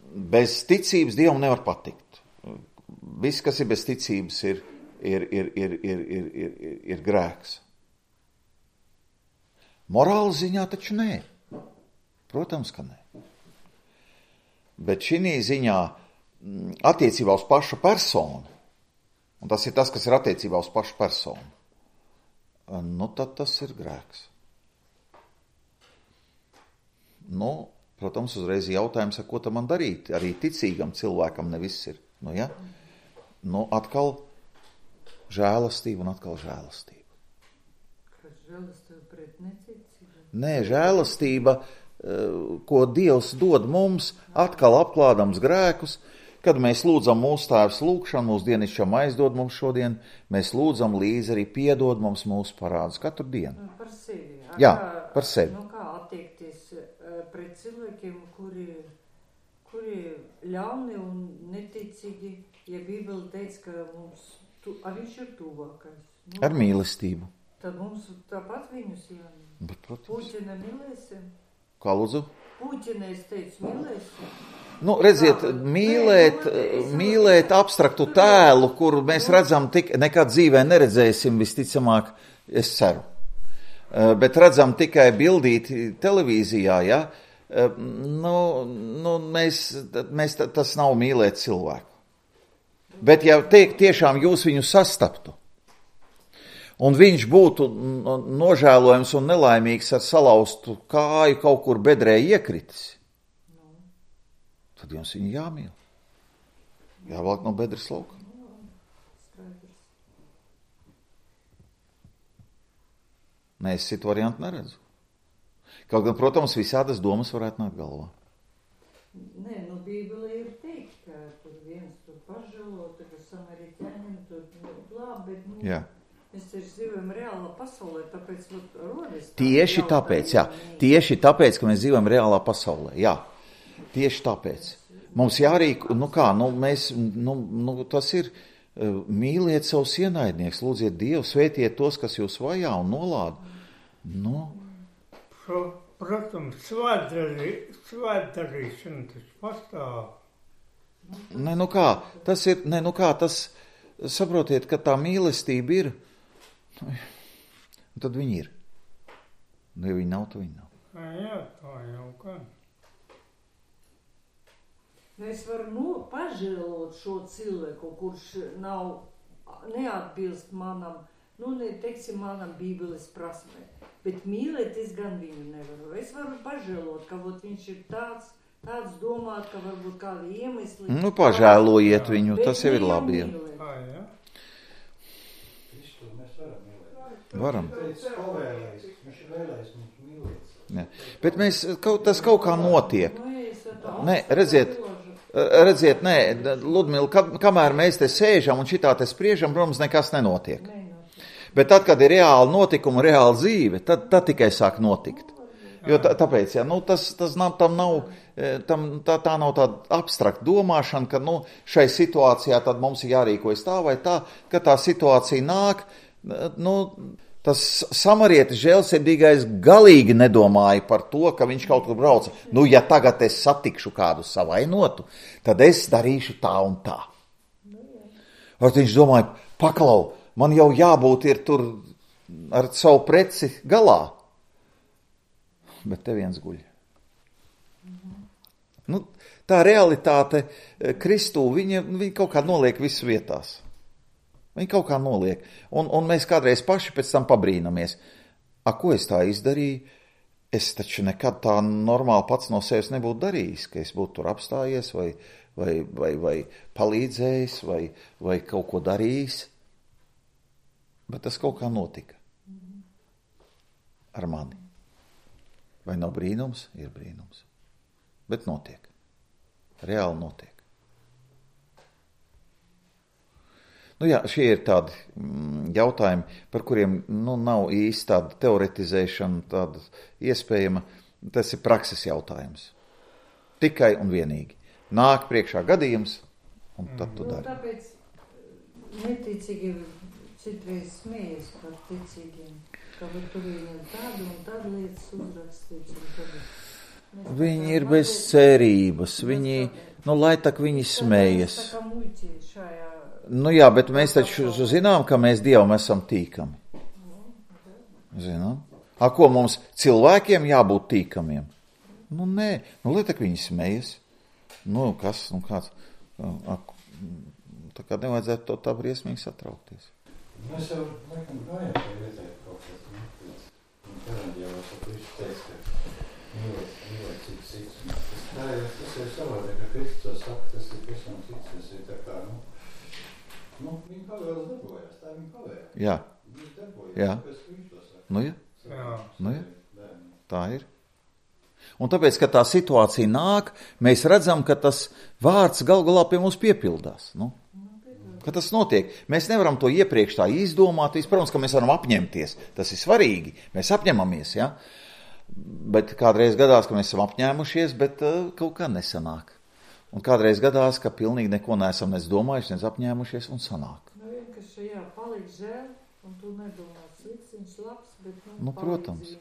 Bez ticības Dievam nevar patikt. Viss, kas ir bez ticības, ir grēks. Morāla ziņā taču nē. Protams, ka nē. Bet šī ziņā attiecībā uz pašu personu, un tas ir tas, kas ir attiecībā uz pašu personu, tad tas ir grēks. Protams, uzreiz jautājums, ko tam man darīt. Arī ticīgam cilvēkam ne viss ir. Atkal žēlastība un atkal žēlastība. Kas žēlastība pret neticību? Nē, žēlastība, ko Dievs dod mums, atkal apklādams grēkus, kad mēs lūdzam mūsu Tēvs lūgšanu, mūsu dienišķo maizi dod mums šodien, mēs lūdzam līdzi arī piedod mums mūsu parādus katru dienu. Par sevi. Jā, par sevi. Kā attiekties pret cilvēkiem, kuri ļauni un neticīgi, ja Bībele teica, ka viņš ir tuvākais. Ar mīlestību. Tad mums tāpat viņus jāmīl. Bet, protams. Puķina mīlēsim. Kā lūdzu? Puķina, es teicu, mīlēsim. Redziet, mīlēt abstraktu tēlu, kuru mēs redzam, nekad dzīvē neredzēsim, visticamāk, es ceru. Bet redzam tikai bildīti televīzijā, ja? Tas nav mīlēt cilvēku. Bet ja tiešām jūs viņu sastaptu un viņš būtu nožēlojams un nelaimīgs ar salauztu kāju kaut kur bedrē iekritis, tad jums viņu jāmīl. Jāvelk no bedres lauka. Nē, es citu variantu neredzu. Kaut gan, protams, visādas domas varētu nākt galvā. Nē, nu Bībelē ir teikt, ka tur viens tur pažēlo, tur samaritāņiem tur labi, bet Jā. mēs taču dzīvojam reālā pasaulē, tāpēc rodas. Tieši tāpēc, jā. Tieši tāpēc, ka mēs dzīvojam reālā pasaulē. Jā. Tieši tāpēc. Mums jārīk, tas ir, mīliet savus ienaidnieks, lūdziet Dievu, svētiet tos, kas jūs vajā un nolāda. Protams, svētdarīšana tas pastāv. Tas saprotiet, ka tā mīlestība ir, tad viņi ir. Ja viņi nav, tad viņi nav. Jā, tā jau kā. Es varu pažēlot šo cilvēku, kurš neatbilst manam, manam Bībeles prasmē. Bet mīlēt es gan viņu nevaru. Es varu pažēlot, ka viņš ir tāds domāt, ka varbūt kādi iemesli. Pažēlojiet viņu, tas jau ir labi. Jā. Varam. Bet tas kaut kā notiek. Nē, redziet, Ludmila, kamēr mēs te sēžam un šitā te spriežam, protams, nekas nenotiek. Bet tad, kad ir reāli notikumi, reāla dzīve, tad tikai sāk notikt. Jo tāpēc, tā nav tāda abstrakta domāšana, ka šai situācijā tad mums ir jārīkojas tā vai tā, ka tā situācija nāk, tas samarietis žēlsirdīgais galīgi nedomāja par to, ka viņš kaut kur brauca. Ja tagad es satikšu kādu savainotu, tad es darīšu tā un tā. Ar viņš domāja, paklau, man jau jābūt ir tur ar savu preci galā. Bet te viens guļ. Tā realitāte Kristū, viņa kaut kā noliek visu vietās. Viņi kaut kā noliek. Un mēs kādreiz paši pēc tam pabrīnamies. Ko es tā izdarīju? Es taču nekad tā normāli pats no sevis nebūtu darījis, ka es būtu tur apstājies vai palīdzējis vai kaut ko darījis. Bet tas kaut kā notika. Ar mani. Vai nav brīnums? Ir brīnums. Bet notiek. Reāli notiek. Šie ir tādi jautājumi, par kuriem nav īsti tāda teoretizēšana, tāda iespējama. Tas ir prakses jautājums. Tikai un vienīgi. Nāk priekšā gadījums, un tad tu dari. Tāpēc neticīgi citreiz smējas par ticīgiem, ka tur viņiem tādu un tādu lietas uzrakstīts. Viņi ir bez cerības. Viņi, lai tak viņi smējas. Tā kā muļķi šajā. Bet mēs taču zinām, ka mēs Dievam esam tīkami. Zinām? Ko mums cilvēkiem jābūt tīkamiem? Nē, lai tak viņi smējas. Kāds? Tā kā nevajadzētu to tā briesmīgi satraukties. Mēs jau laikam gājām pie redzēt kaut kas. Kādam jau esat visu teiks, ka mīlēt cits. Tas ir savādāk, ka Kristus saka, tas ir visam cits. Tas ir tā kā, viņa pavēles darbojās, tā viņa pavēle. Jā. Viņš darbojās, Jā. tāpēc, ka viņš to saka. Jā. Tā ir. Un tāpēc, ka tā situācija nāk, mēs redzam, ka tas vārds galā pie mums piepildās. Ka tas notiek. Mēs nevaram to iepriekš tā izdomāt. Protams, ka mēs varam apņemties. Tas ir svarīgi. Mēs apņemamies, ja? Bet kādreiz gadās, ka mēs esam apņēmušies, bet kaut kā nesanāk. Un kādreiz gadās, ka pilnīgi neko neesam domājuši, nes apņēmušies un sanāk. Vienkārši palīdz žēl, un tu nedomā slikts, viņš labs, bet protams.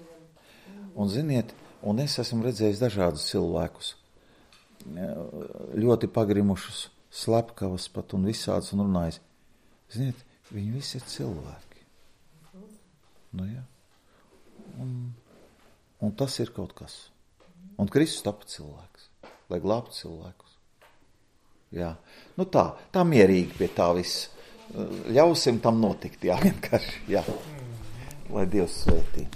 Un ziniet, un es esmu redzējis dažādus cilvēkus, ļoti pagrimušus, slepkavas pat un visādus un runājis. Ziniet, viņi visi ir cilvēki. Un tas ir kaut kas. Un Kristus tapa cilvēks, lai glābtu cilvēkus. Jā. Tā mierīgi pie tā viss. ļausim tam notikt, jā, vienkārši, jā. Lai Dievs svētī.